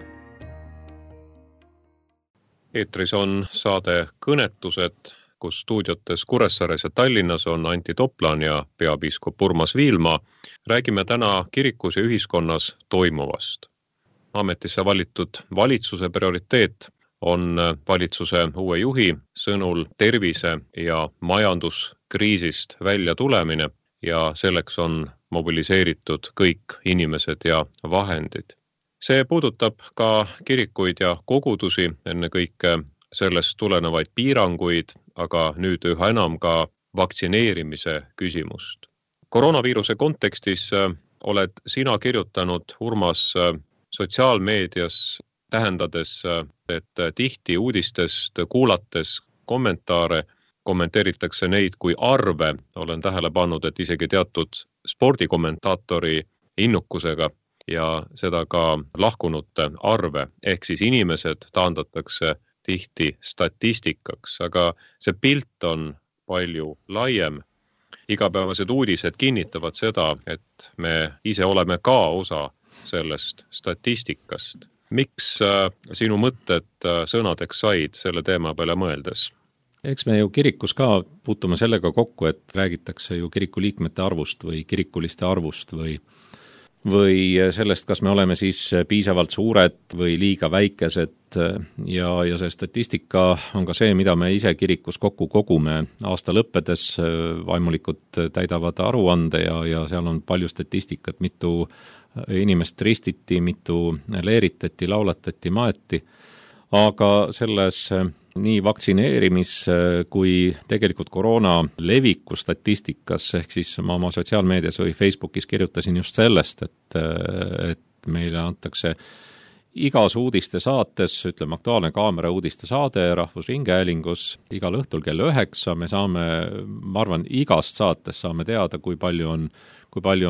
Eetris on saade Kõnetused, kus stuudiotes Kuressaares ja Tallinnas on Anti Toplan ja peapiiskop Urmas Viilma. Räägime täna kirikus ja ühiskonnas toimuvast. ametisse valitud valitsuse prioriteet on valitsuse uue juhi sõnul tervise- ja majanduskriisist välja tulemine ja selleks on mobiliseeritud kõik inimesed ja vahendid. See puudutab ka kirikuid ja kogudusi, ennekõike sellest tulenevaid piiranguid, aga nüüd üha enam ka vaktsineerimise küsimust. Koroonaviiruse kontekstis oled sina kirjutanud, Urmas, sotsiaalmeedias tähendades, et tihti uudistest kuulates kommentaare kommenteeritakse neid kui arve. Olen tähele pannud, et isegi teatud spordikommentaatori innukusega ja seda ka lahkunute arve. Ehk siis inimesed taandatakse tihti statistikaks, aga see pilt on palju laiem. Igapäevased uudised kinnitavad seda, et me ise oleme ka osa sellest statistikast. Miks sinu mõtted sõnadeks said selle teema peale mõeldes? Eks me ju kirikus ka puutume sellega kokku, et räägitakse ju kiriku liikmete arvust või kirikuliste arvust või sellest, kas me oleme siis piisavalt suured või liiga väikesed ja see statistika on ka see, mida me ise kirikus kokku kogume aasta lõppedes. Vaimulikud täidavad aruande ja seal on palju statistikat, mitu inimest ristiti, mitu leeritati, laulatati, maeti, aga selles nii vaktsineerimis kui tegelikult koroona leviku statistikas, ehk siis ma oma sotsiaalmeedias või Facebookis kirjutasin just sellest, et meile antakse igas uudiste saates, ütleme Aktuaalne Kaamera uudiste saade Rahvusringhäälingus igal õhtul kell 9, me saame, ma arvan, igast saates saame teada, kui palju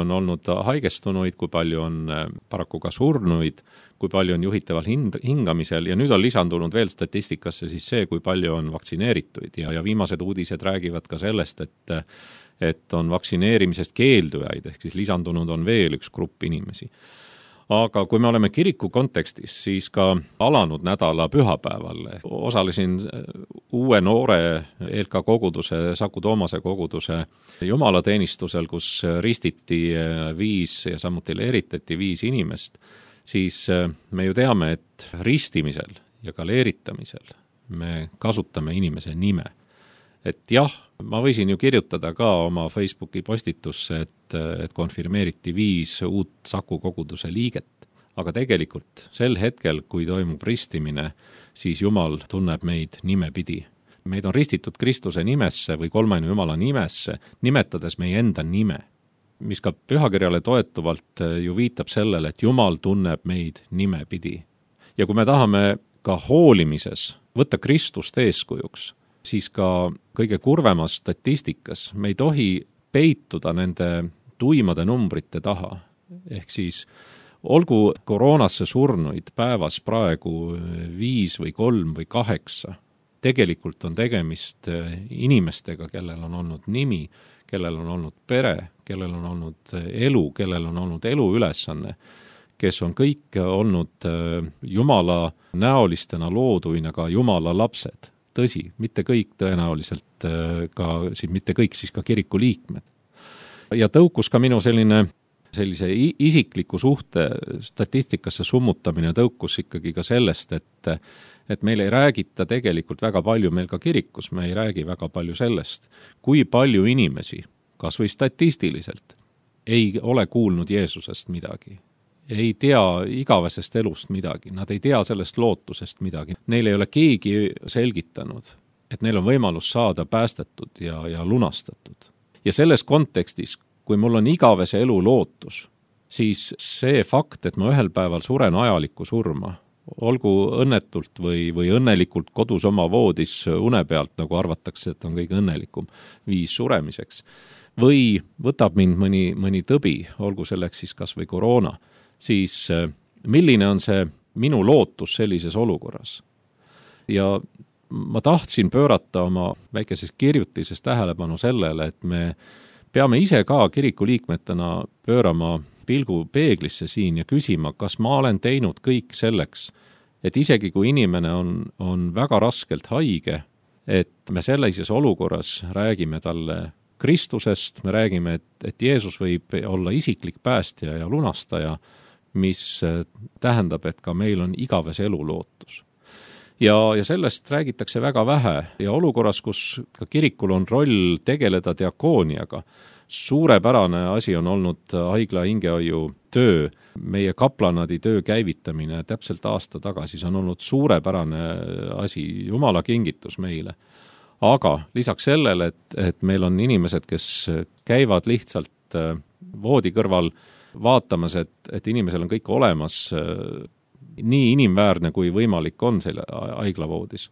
on olnud haigestunuid, kui palju on paraku ka surnuid, kui palju on juhitaval hingamisel ja nüüd on lisandunud veel statistikasse siis see, kui palju on vaktsineerituid ja viimased uudised räägivad ka sellest, et on vaktsineerimisest keeldujaid, ehk siis lisandunud on veel üks grupp inimesi. Aga kui me oleme kiriku kontekstis, siis ka alanud nädala pühapäeval osalesin uue noore ELK koguduse, Saku Toomase koguduse jumalateenistusel, kus ristiti 5 ja samuti leeritati 5 inimest, siis me ju teame, et ristimisel ja ka leeritamisel me kasutame inimese nime. Et jah, ma võisin ju kirjutada ka oma Facebooki postitusse, et konfirmeeriti 5 uut Saku koguduse liiget, aga tegelikult sel hetkel, kui toimub ristimine, siis Jumal tunneb meid nimepidi. Meid on ristitud Kristuse nimesse või kolmainu Jumala nimesse, nimetades meie enda nime, mis ka pühakirjale toetuvalt ju viitab sellele, et Jumal tunneb meid nimepidi. Ja kui me tahame ka hoolimises võtta Kristust eeskujuks, siis ka kõige kurvemas statistikas me ei tohi peituda nende tuimade numbrite taha. Ehk siis olgu koroonasse surnuid päevas praegu 5 või 3 või 8, tegelikult on tegemist inimestega, kellel on olnud nimi, kellel on olnud pere, kellel on olnud elu, kellel on olnud eluülesanne, kes on kõik olnud Jumala näolistena looduina ka Jumala lapsed. Tõsi, mitte kõik tõenäoliselt mitte kõik siis ka kiriku liikmed. Ja tõukus ka minu sellise isikliku suhte statistikasse summutamine tõukus ikkagi ka sellest, et meil ei räägita tegelikult väga palju, meil ka kirikus me ei räägi väga palju sellest, kui palju inimesi, kas või statistiliselt, ei ole kuulnud Jeesusest midagi. Ei tea igavesest elust midagi, nad ei tea sellest lootusest midagi. Neil ei ole keegi selgitanud, et neil on võimalus saada päästetud ja lunastatud. Ja selles kontekstis, kui mul on igavese elu lootus, siis see fakt, et ma ühel päeval suren ajalikku surma, olgu õnnetult või õnnelikult kodus oma voodis une pealt, nagu arvatakse, et on kõige õnnelikum viis suremiseks, või võtab mind mõni tõbi, olgu selleks siis kas või koroona, siis milline on see minu lootus sellises olukorras? Ja ma tahtsin pöörata oma väikeses kirjutises tähelepanu sellele, et me peame ise ka kirikuliikmetena pöörama pilgu peeglisse siin ja küsima, kas ma olen teinud kõik selleks, et isegi kui inimene on väga raskelt haige, et me sellises olukorras räägime talle Kristusest, me räägime, et Jeesus võib olla isiklik päästja ja lunastaja, mis tähendab, et ka meil on igavese elu lootus. Ja sellest räägitakse väga vähe ja olukorras, kus ka kirikul on roll tegeleda diakooniaga, suurepärane asi on olnud haigla hingehoiu töö, meie kaplanadi töö käivitamine täpselt aasta tagasi, see on olnud suurepärane asi, Jumala kingitus meile. Aga lisaks sellele, et meil on inimesed, kes käivad lihtsalt voodi kõrval vaatamas, et inimesel on kõik olemas, nii inimväärne kui võimalik on selle haiglavoodis,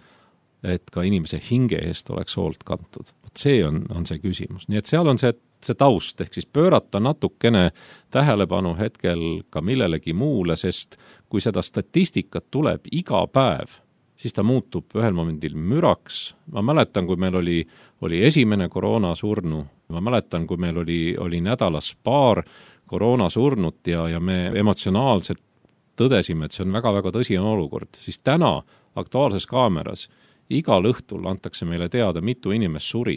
et ka inimese hinge eest oleks hoolt kantud. See on see küsimus. Nii et seal on see taust, ehk siis pöörata natukene tähelepanu hetkel ka millelegi muule, sest kui seda statistikat tuleb iga päev, siis ta muutub ühel momendil müraks. Ma mäletan, kui meil oli esimene koroonasurnu, ma mäletan, kui meil oli nädalas paar koroonasurnut ja me emotsionaalselt tõdesime, et see on väga-väga tõsine olukord, siis täna Aktuaalses Kaameras igal õhtul antakse meile teada, mitu inimest suri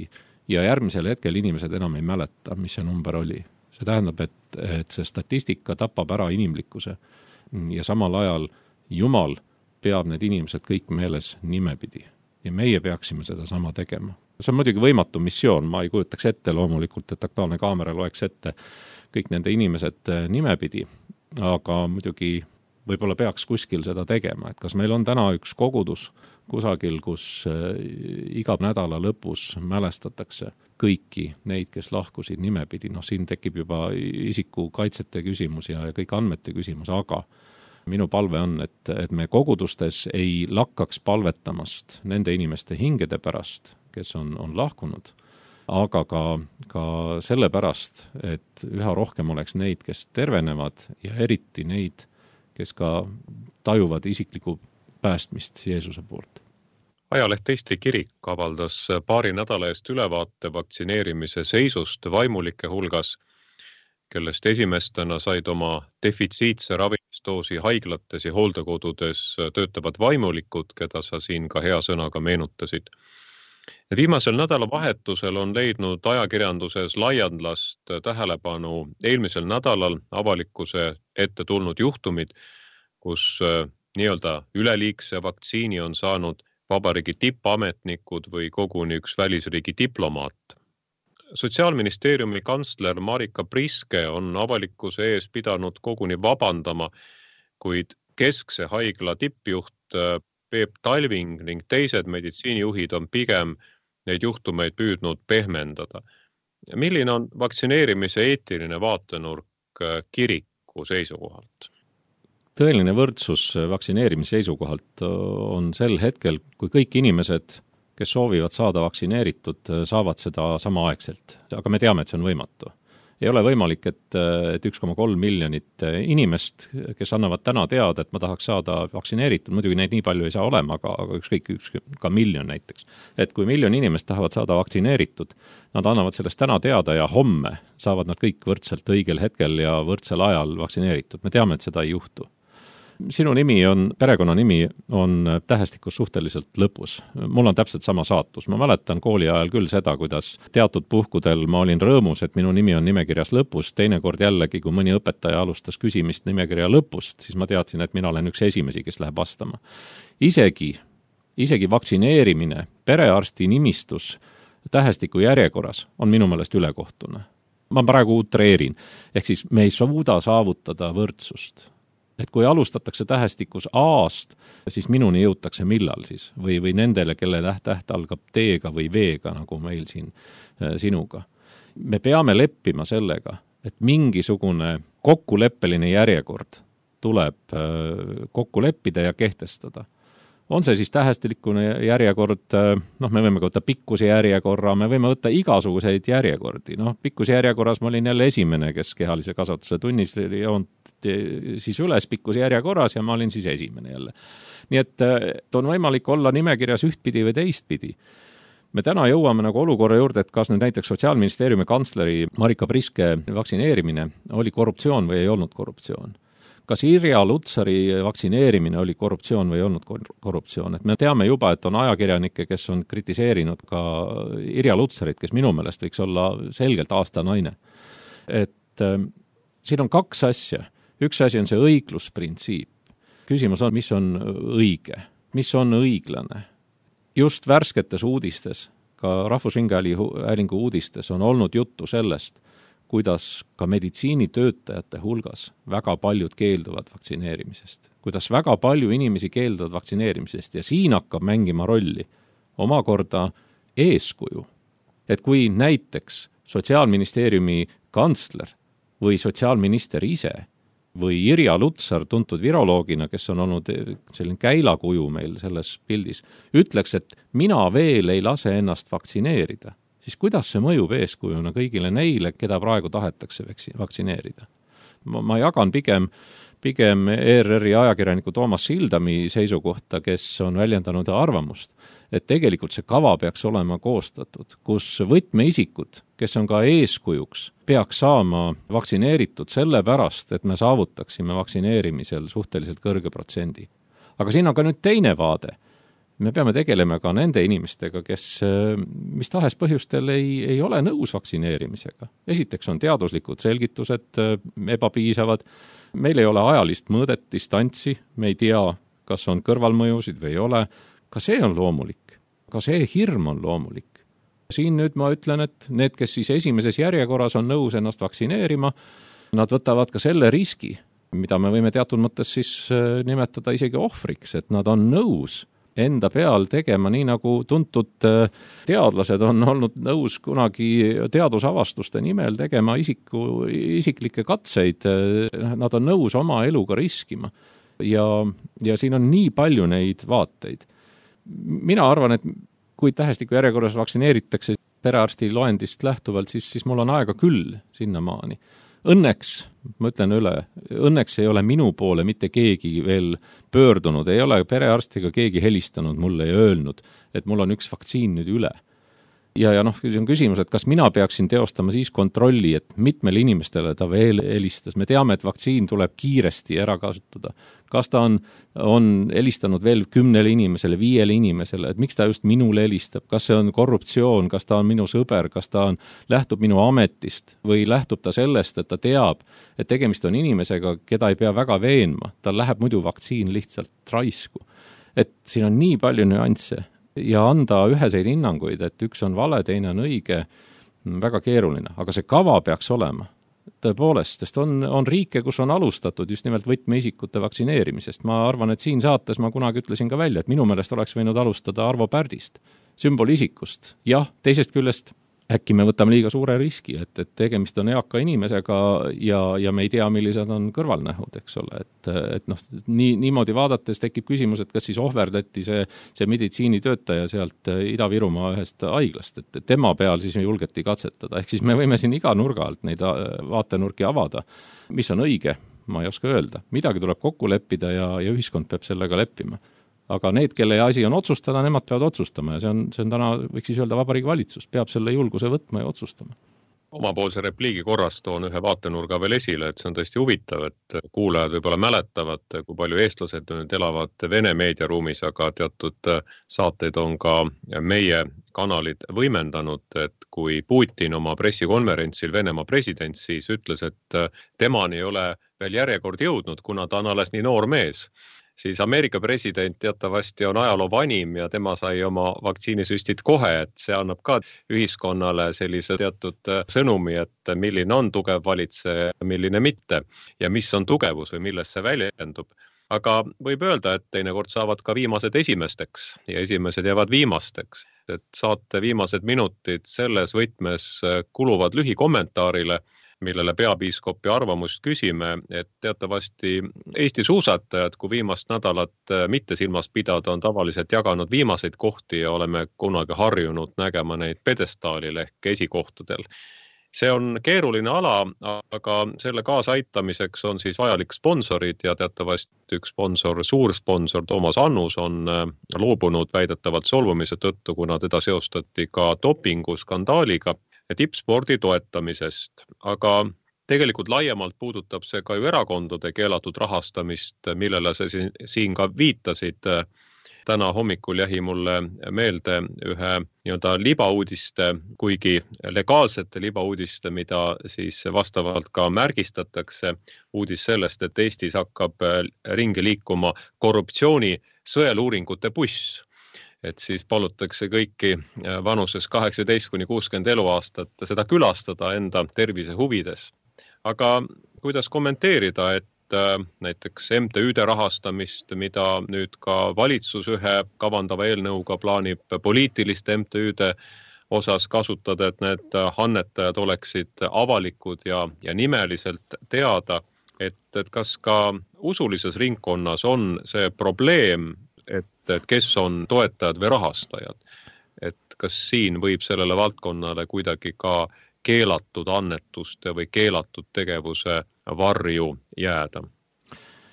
ja järgmisel hetkel inimesed enam ei mäleta, mis see number oli. See tähendab, et see statistika tapab ära inimlikkuse ja samal ajal Jumal peab need inimesed kõik meeles nimepidi ja meie peaksime seda sama tegema. See on muidugi võimatu missioon, ma ei kujutaks ette loomulikult, et Aktuaalne Kaamera loeks ette kõik nende inimesed nimepidi, aga muidugi võib-olla peaks kuskil seda tegema, et kas meil on täna üks kogudus kusagil, kus iga nädala lõpus mälestatakse kõiki neid, kes lahkusid nimepidi. Siin tekib juba isiku kaitsete küsimus ja kõik andmete küsimus, aga minu palve on, et me kogudustes ei lakkaks palvetamast nende inimeste hingede pärast, kes on lahkunud, aga ka selle pärast, et üha rohkem oleks neid, kes tervenevad ja eriti neid, kes ka tajuvad isiklikku päästmist Jeesuse poolt. Ajaleht Eesti Kirik avaldas paari nädala eest ülevaate vaktsineerimise seisust vaimulike hulgas, kellest esimestena said oma defitsiitse ravimisdoosi haiglates ja hooldekodudes töötavad vaimulikud, keda sa siin ka hea sõnaga meenutasid. Viimasel nädalavahetusel on leidnud ajakirjanduses laialdast tähelepanu eelmisel nädalal avalikkuse ette tulnud juhtumid, kus nii-öelda üleliigse vaktsiini on saanud vabariigi tippametnikud või koguni üks välisriigi diplomaat. Sotsiaalministeeriumi kantsler Marika Priske on avalikkuse ees pidanud koguni vabandama, kuid keskse haigla tippjuht Peep Talving ning teised meditsiinijuhid on pigem neid juhtumeid püüdnud pehmendada. Milline on vaktsineerimise eetiline vaatenurk kiriku seisukohalt? Tõeline võrdsus vaktsineerimise seisukohalt on sel hetkel, kui kõik inimesed, kes soovivad saada vaktsineeritud, saavad seda samaaegselt. Aga me teame, et see on võimatu. Ei ole võimalik, et 1,3 miljonit inimest, kes annavad täna teada, et ma tahaks saada vaktsineeritud, muidugi neid nii palju ei saa olema, aga ükskõik ka miljon näiteks. Et kui miljon inimest tahavad saada vaktsineeritud, nad annavad sellest täna teada ja homme saavad nad kõik võrdselt õigel hetkel ja võrdsel ajal vaktsineeritud. Me teame, et seda ei juhtu. Sinu perekonna nimi on tähestikus suhteliselt lõpus. Mul on täpselt sama saatus. Ma mäletan kooli ajal küll seda, kuidas teatud puhkudel ma olin rõõmus, et minu nimi on nimekirjas lõpus. Teinekord jällegi, kui mõni õpetaja alustas küsimist nimekirja lõpust, siis ma teadsin, et mina olen üks esimesi, kes läheb vastama. Isegi vaktsineerimine perearsti nimistus tähestiku järjekorras on minu meelest ülekohtune. Ma praegu utreerin. Ehk siis me ei suuda saavutada võrdsust. Et kui alustatakse tähestikus A-st, siis minuni jõutakse millal siis või nendele, kelle täht algab T-ga või V-ga, nagu meil siin sinuga. Me peame leppima sellega, et mingisugune kokkuleppeline järjekord tuleb kokku leppida ja kehtestada. On see siis tähestilikune järjekord, me võime võtta pikkuse järjekorra, me võime võtta igasuguseid järjekordi. Pikkuse järjekorras ma olin jälle esimene, kes kehalise kasvatuse tunnis joont siis üles pikkuse järjekorras ja ma olin siis esimene jälle. Nii et on võimalik olla nimekirjas ühtpidi või teistpidi. Me täna jõuame nagu olukorra juurde, et kas nüüd näiteks Sotsiaalministeeriumi kantsleri Marika Priske vaktsineerimine oli korruptsioon või ei olnud korruptsioon. Kas Irja Lutsari vaktsineerimine oli korruptsioon või ei olnud korruptsioon? Et me teame juba, et on ajakirjanikke, kes on kritiseerinud ka Irja Lutsarit, kes minu meelest võiks olla selgelt aastanaine. Et siin on kaks asja. Üks asi on see õiglusprintsiip. Küsimus on, mis on õige, mis on õiglane. Just värsketes uudistes, ka Rahvusringhäälingu uudistes on olnud juttu sellest, kuidas ka meditsiinitöötajate hulgas väga paljud keelduvad vaktsineerimisest. Kuidas väga palju inimesi keelduvad vaktsineerimisest ja siin hakkab mängima rolli omakorda eeskuju. Et kui näiteks Sotsiaalministeeriumi kantsler või sotsiaalminister ise või Irja Lutsar, tuntud viroloogina, kes on olnud selline käilakuju meil selles pildis, ütleks, et mina veel ei lase ennast vaktsineerida, siis kuidas see mõjub eeskujuna kõigile neile, keda praegu tahetakse vaktsineerida? Ma jagan pigem ERR-i ajakirjaniku Toomas Sildami seisukohta, kes on väljendanud arvamust, et tegelikult see kava peaks olema koostatud, kus võtmeisikud, kes on ka eeskujuks, peaks saama vaktsineeritud sellepärast, et me saavutaksime vaktsineerimisel suhteliselt kõrge protsendi. Aga siin on ka nüüd teine vaade. Me peame tegelema ka nende inimestega, kes mis tahes põhjustel ei ole nõus vaktsineerimisega. Esiteks on teaduslikud selgitused ebapiisavad, meil ei ole ajalist mõõdet, distantsi, me ei tea, kas on kõrvalmõjusid või ei ole. Ka see on loomulik, ka see hirm on loomulik. Siin nüüd ma ütlen, et need, kes siis esimeses järjekorras on nõus ennast vaktsineerima, nad võtavad ka selle riski, mida me võime teatud mõttes siis nimetada isegi ohvriks, et nad on nõus enda peal tegema, nii nagu tuntud teadlased on olnud nõus kunagi teadusavastuste nimel tegema isiklikke katseid, nad on nõus oma eluga riskima. Ja siin on nii palju neid vaateid. Mina arvan, et kui tähestiku järjekorras vaktsineeritakse perearsti loendist lähtuvalt, siis mul on aega küll sinnamaani. Õnneks, ma ütlen üle, õnneks ei ole minu poole mitte keegi veel pöördunud, ei ole perearstiga keegi helistanud mulle ja öelnud, et mul on üks vaktsiin nüüd üle. Ja see on küsimus, et kas mina peaksin teostama siis kontrolli, et mitmele inimestele ta veel helistas. Me teame, et vaktsiin tuleb kiiresti ära kasutada. Kas ta on helistanud veel 10 inimesele, 5 inimesele, et miks ta just minule helistab? Kas see on korruptsioon, kas ta on minu sõber, kas ta lähtub minu ametist või lähtub ta sellest, et ta teab, et tegemist on inimesega, keda ei pea väga veenma. Tal läheb muidu vaktsiin lihtsalt raisku. Et siin on nii palju nüansse. Ja anda üheseid hinnanguid, et üks on vale, teine on õige, väga keeruline. Aga see kava peaks olema tõepoolest, sest on riike, kus on alustatud just nimelt võtmeisikute vaktsineerimisest. Ma arvan, et siin saates ma kunagi ütlesin ka välja, et minu meelest oleks võinud alustada Arvo Pärdist, sümbolisikust. Jah, teisest küljest äkki me võtame liiga suure riski, et tegemist on eaka inimesega ja me ei tea, millised on kõrvalnähud, eks ole. Niimoodi vaadates tekib küsimus, et kas siis ohverdati see meditsiinitöötaja sealt Ida-Virumaa ühest haiglast, et tema peal siis julgeti katsetada. Ehk siis me võime siin iga nurga alt neid vaatenurki avada. Mis on õige, ma ei oska öelda. Midagi tuleb kokku leppida ja ühiskond peab sellega leppima. Aga need, kelle asi on otsustada, nemad peavad otsustama ja see on täna, võiks siis öelda, Vabariigi Valitsus peab selle julguse võtma ja otsustama. Omapoolse repliigi korras toon ühe vaatenurga veel esile, et see on tõesti huvitav, et kuulajad võib-olla mäletavad, kui palju eestlased nüüd elavad Vene meediaruumis, aga teatud saateid on ka meie kanalid võimendanud, et kui Putin oma pressikonverentsil Venemaa president siis ütles, et temani ei ole veel järjekord jõudnud, kuna ta on alles nii noor mees, siis Ameerika president teatavasti on ajaloo vanim ja tema sai oma vaktsiinisüstid kohe, et see annab ka ühiskonnale sellise teatud sõnumi, et milline on tugev valitseja, milline mitte ja mis on tugevus või milles see väljendub. Aga võib öelda, et teinekord saavad ka viimased esimesteks ja esimesed jäävad viimasteks. Et saate viimased minutid selles võtmes kuluvad lühikommentaarile, millele peapiiskopi arvamust küsime, et teatavasti Eesti suusatajad, kui viimast nädalat mitte silmas pidada, on tavaliselt jaganud viimaseid kohti ja oleme kunagi harjunud nägema neid pedestaalil ehk esikohtadel. See on keeruline ala, aga selle kaasaitamiseks on siis vajalik sponsorid ja teatavasti üks sponsor, suur sponsor Toomas Annus on loobunud väidetavalt solvumise tõttu, kuna teda seostati ka dopinguskandaaliga ja tippspordi toetamisest, aga tegelikult laiemalt puudutab see ka ju erakondade keelatud rahastamist, millele sa siin ka viitasid. Täna hommikul jäi mulle meelde ühe nii-öelda libauudiste, kuigi legaalsete libauudiste, mida siis vastavalt ka märgistatakse. Uudis sellest, et Eestis hakkab ringi liikuma korruptsiooni sõeluuringute buss. Et siis palutakse kõiki vanuses 18–60 eluaastat seda külastada enda tervise huvides. Aga kuidas kommenteerida, et näiteks MTÜ-de rahastamist, mida nüüd ka valitsus ühe kavandava eelnõuga plaanib poliitiliste MTÜ-de osas kasutada, et need annetajad oleksid avalikud ja nimeliselt teada, et kas ka usulises ringkonnas on see probleem, et kes on toetajad või rahastajad. Et kas siin võib sellele valdkonnale kuidagi ka keelatud annetuste või keelatud tegevuse varju jääda?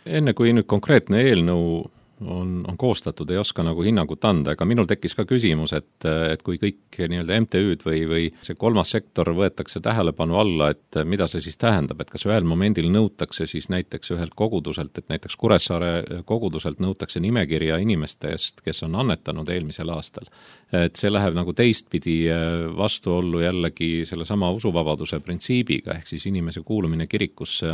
Enne kui nüüd konkreetne eelnõu on koostatud, ei oska nagu hinnangut anda, aga minul tekkis ka küsimus, et kui kõik nii-öelda MTÜ-d või see kolmas sektor võetakse tähelepanu alla, et mida see siis tähendab, et kas ühel momendil nõutakse siis näiteks ühelt koguduselt, et näiteks Kuressaare koguduselt nõutakse nimekirja inimestest, kes on annetanud eelmisel aastal. Et see läheb nagu teistpidi vastuollu jällegi selle sama usuvabaduse printsiibiga, ehk siis inimese kuulumine kirikusse,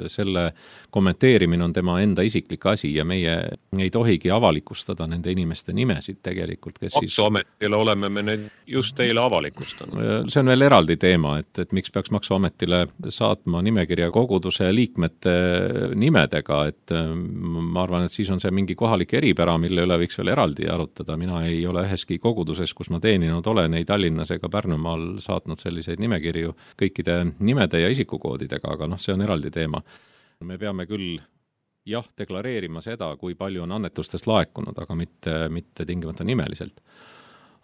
selle kommenteerimine on tema enda isiklik asi ja meie ei tohigi avalikustada nende inimeste nimesid tegelikult, kes Maksuametile oleme me need just teile avalikustanud. See on veel eraldi teema, et miks peaks Maksuametile saatma nimekirja koguduse liikmete nimedega, et ma arvan, et siis on see mingi kohalik eripära, mille üle võiks veel eraldi arutada. Mina ei ole üheski koguduses, kus ma teeninud olen, ei Tallinnas ega Pärnumaal saatnud selliseid nimekirju kõikide nimede ja isikukoodidega, aga see on eraldi teema. Me peame küll deklareerima seda, kui palju on annetustest laekunud, aga mitte tingimata nimeliselt.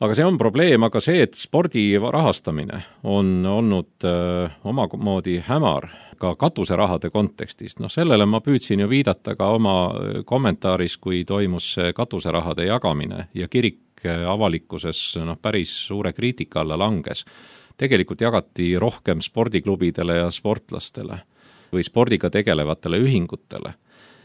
Aga see on probleem, aga see, et spordi rahastamine on olnud omamoodi hämar ka katuserahade kontekstis, sellele ma püüdsin ju viidata ka oma kommentaaris, kui toimus katuserahade jagamine ja kirik avalikkuses päris suure kriitika alla langes. Tegelikult jagati rohkem spordiklubidele ja sportlastele või spordiga tegelevatele ühingutele.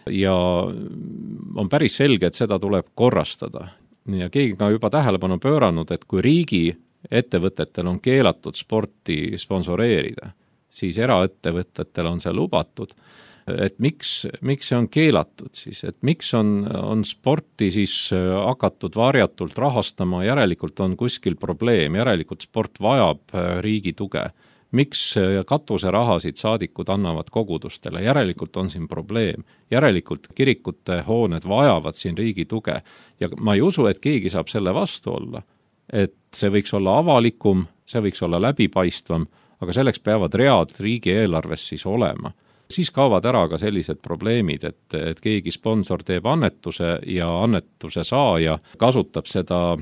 Ja on päris selge, et seda tuleb korrastada. Ja keegi ka juba tähelepanu pööranud, et kui riigi ettevõtetel on keelatud sporti sponsoreerida, siis eraettevõtetel on see lubatud. Et miks see on keelatud siis? Et miks on sporti siis hakatud varjatult rahastama, järelikult on kuskil probleem, järelikult sport vajab riigi tuge. Miks katuserahasid saadikud annavad kogudustele? Järelikult on siin probleem. Järelikult kirikute hooned vajavad siin riigi tuge. Ja ma ei usu, et keegi saab selle vastu olla. Et see võiks olla avalikum, see võiks olla läbipaistvam, aga selleks peavad read riigi eelarves siis olema. Siis kaovad ära ka sellised probleemid, et keegi sponsor teeb annetuse ja annetuse saaja kasutab seda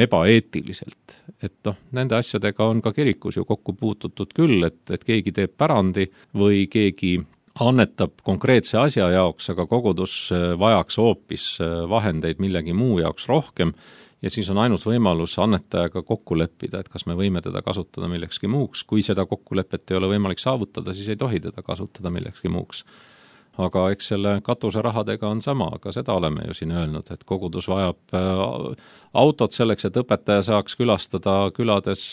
ebaeetiliselt. Et nende asjadega on ka kirikus ju kokku puututud küll, et keegi teeb pärandi või keegi annetab konkreetse asja jaoks, aga kogudus vajaks hoopis vahendeid millegi muu jaoks rohkem. Ja siis on ainus võimalus annetajaga kokku leppida, et kas me võime teda kasutada millekski muuks. Kui seda kokkulepet ei ole võimalik saavutada, siis ei tohi teda kasutada millekski muuks. Aga eks selle katuserahadega on sama, aga seda oleme ju siin öelnud, et kogudus vajab autot selleks, et õpetaja saaks külastada külades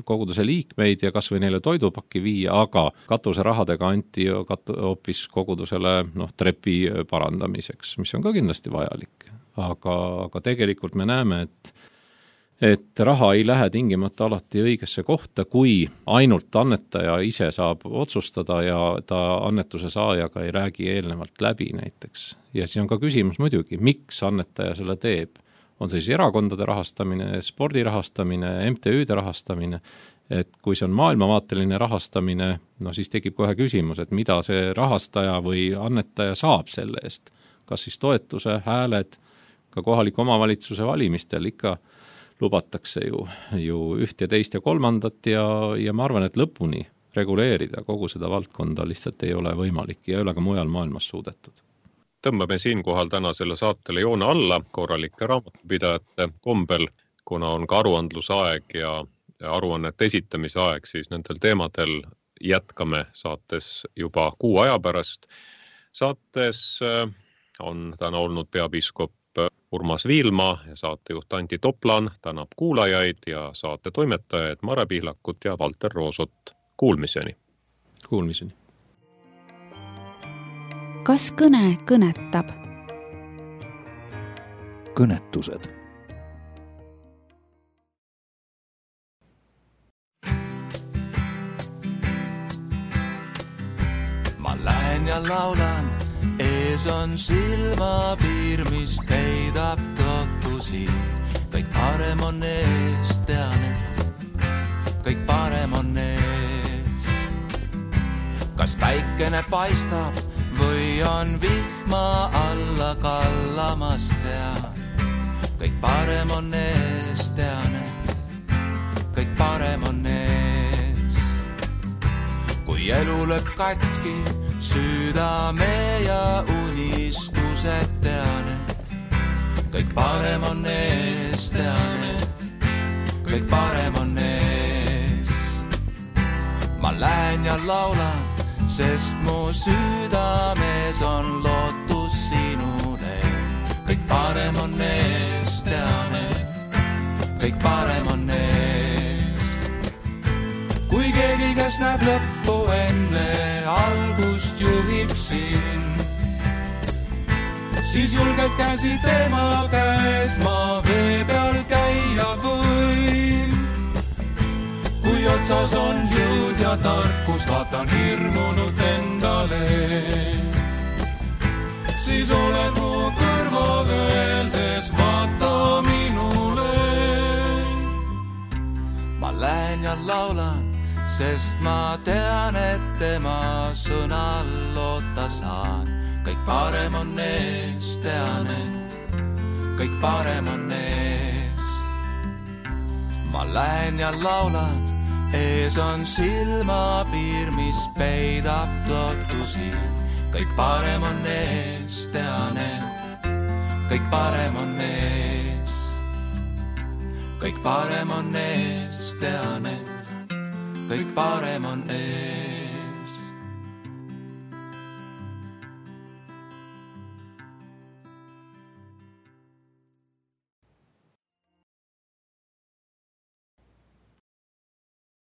koguduse liikmeid ja kas või neile toidupakki viia, aga katuserahadega anti hoopis kogudusele trepi parandamiseks, mis on ka kindlasti vajalik. Aga tegelikult me näeme, et raha ei lähe tingimata alati õigesse kohta, kui ainult annetaja ise saab otsustada ja ta annetuse saajaga ei räägi eelnevalt läbi näiteks. Ja siis on ka küsimus muidugi, miks annetaja selle teeb. On see siis erakondade rahastamine, spordi rahastamine, MTÜ-de rahastamine, et kui see on maailmavaateline rahastamine, siis tekib kohe küsimus, et mida see rahastaja või annetaja saab selle eest. Kas siis toetuse, hääled, ka kohaliku omavalitsuse valimistel ikka lubatakse ju üht ja teist ja kolmandat ja ma arvan, et lõpuni reguleerida kogu seda valdkonda lihtsalt ei ole võimalik ja ei ole ka mujal maailmas suudetud. Tõmbame siinkohal täna selle saatele joone alla korralike raamatupidajate kombel, kuna on ka aruandluse aeg ja aruannete esitamise aeg, siis nendel teemadel jätkame saates juba 6 aja pärast. Saates on täna olnud peapiiskop Urmas Viilma ja saatejuht Anti Toplan tänab kuulajaid ja saate toimetajaid Mare Pihlakut ja Valter Roosot. Kuulmiseni. Kuulmiseni. Kas kõne kõnetab? Kõnetused. Ma lähen ja laulan, ees on silmapiir, mis peidab totusi. Kõik parem on ees, tean, et kõik parem on ees. Kas päikene paistab või on vihma alla kallamas, tean. Kõik parem on ees, tean, et kõik parem on ees. Kui elu lööb katki südame ja unistused, tean, et kõik parem on ees, tean, et kõik parem on ees. Ma lähen ja laulan, sest mu südames on lootus sinule. Kõik parem on ees, tean, et kõik parem on ees. Kui keegi, kes näeb lõppu enne algust, juhib sind, siis julgelt käsi tema käes ma vee peal käia võin. Kui otsas on jõud ja tarkus, vaatan hirmunut endale, siis oled mu kõrval öeldes, vaata minule. Ma lähen ja laulan, sest ma tean, et tema sõnal loota saan. Kõik parem on ees, tean, et kõik parem on ees. Ma lähen ja laulan, ees on silmapiir, mis peidab totusi. Kõik parem on ees, tean, et kõik parem on ees. Kõik parem on ees, tean, et kõik parem on ees.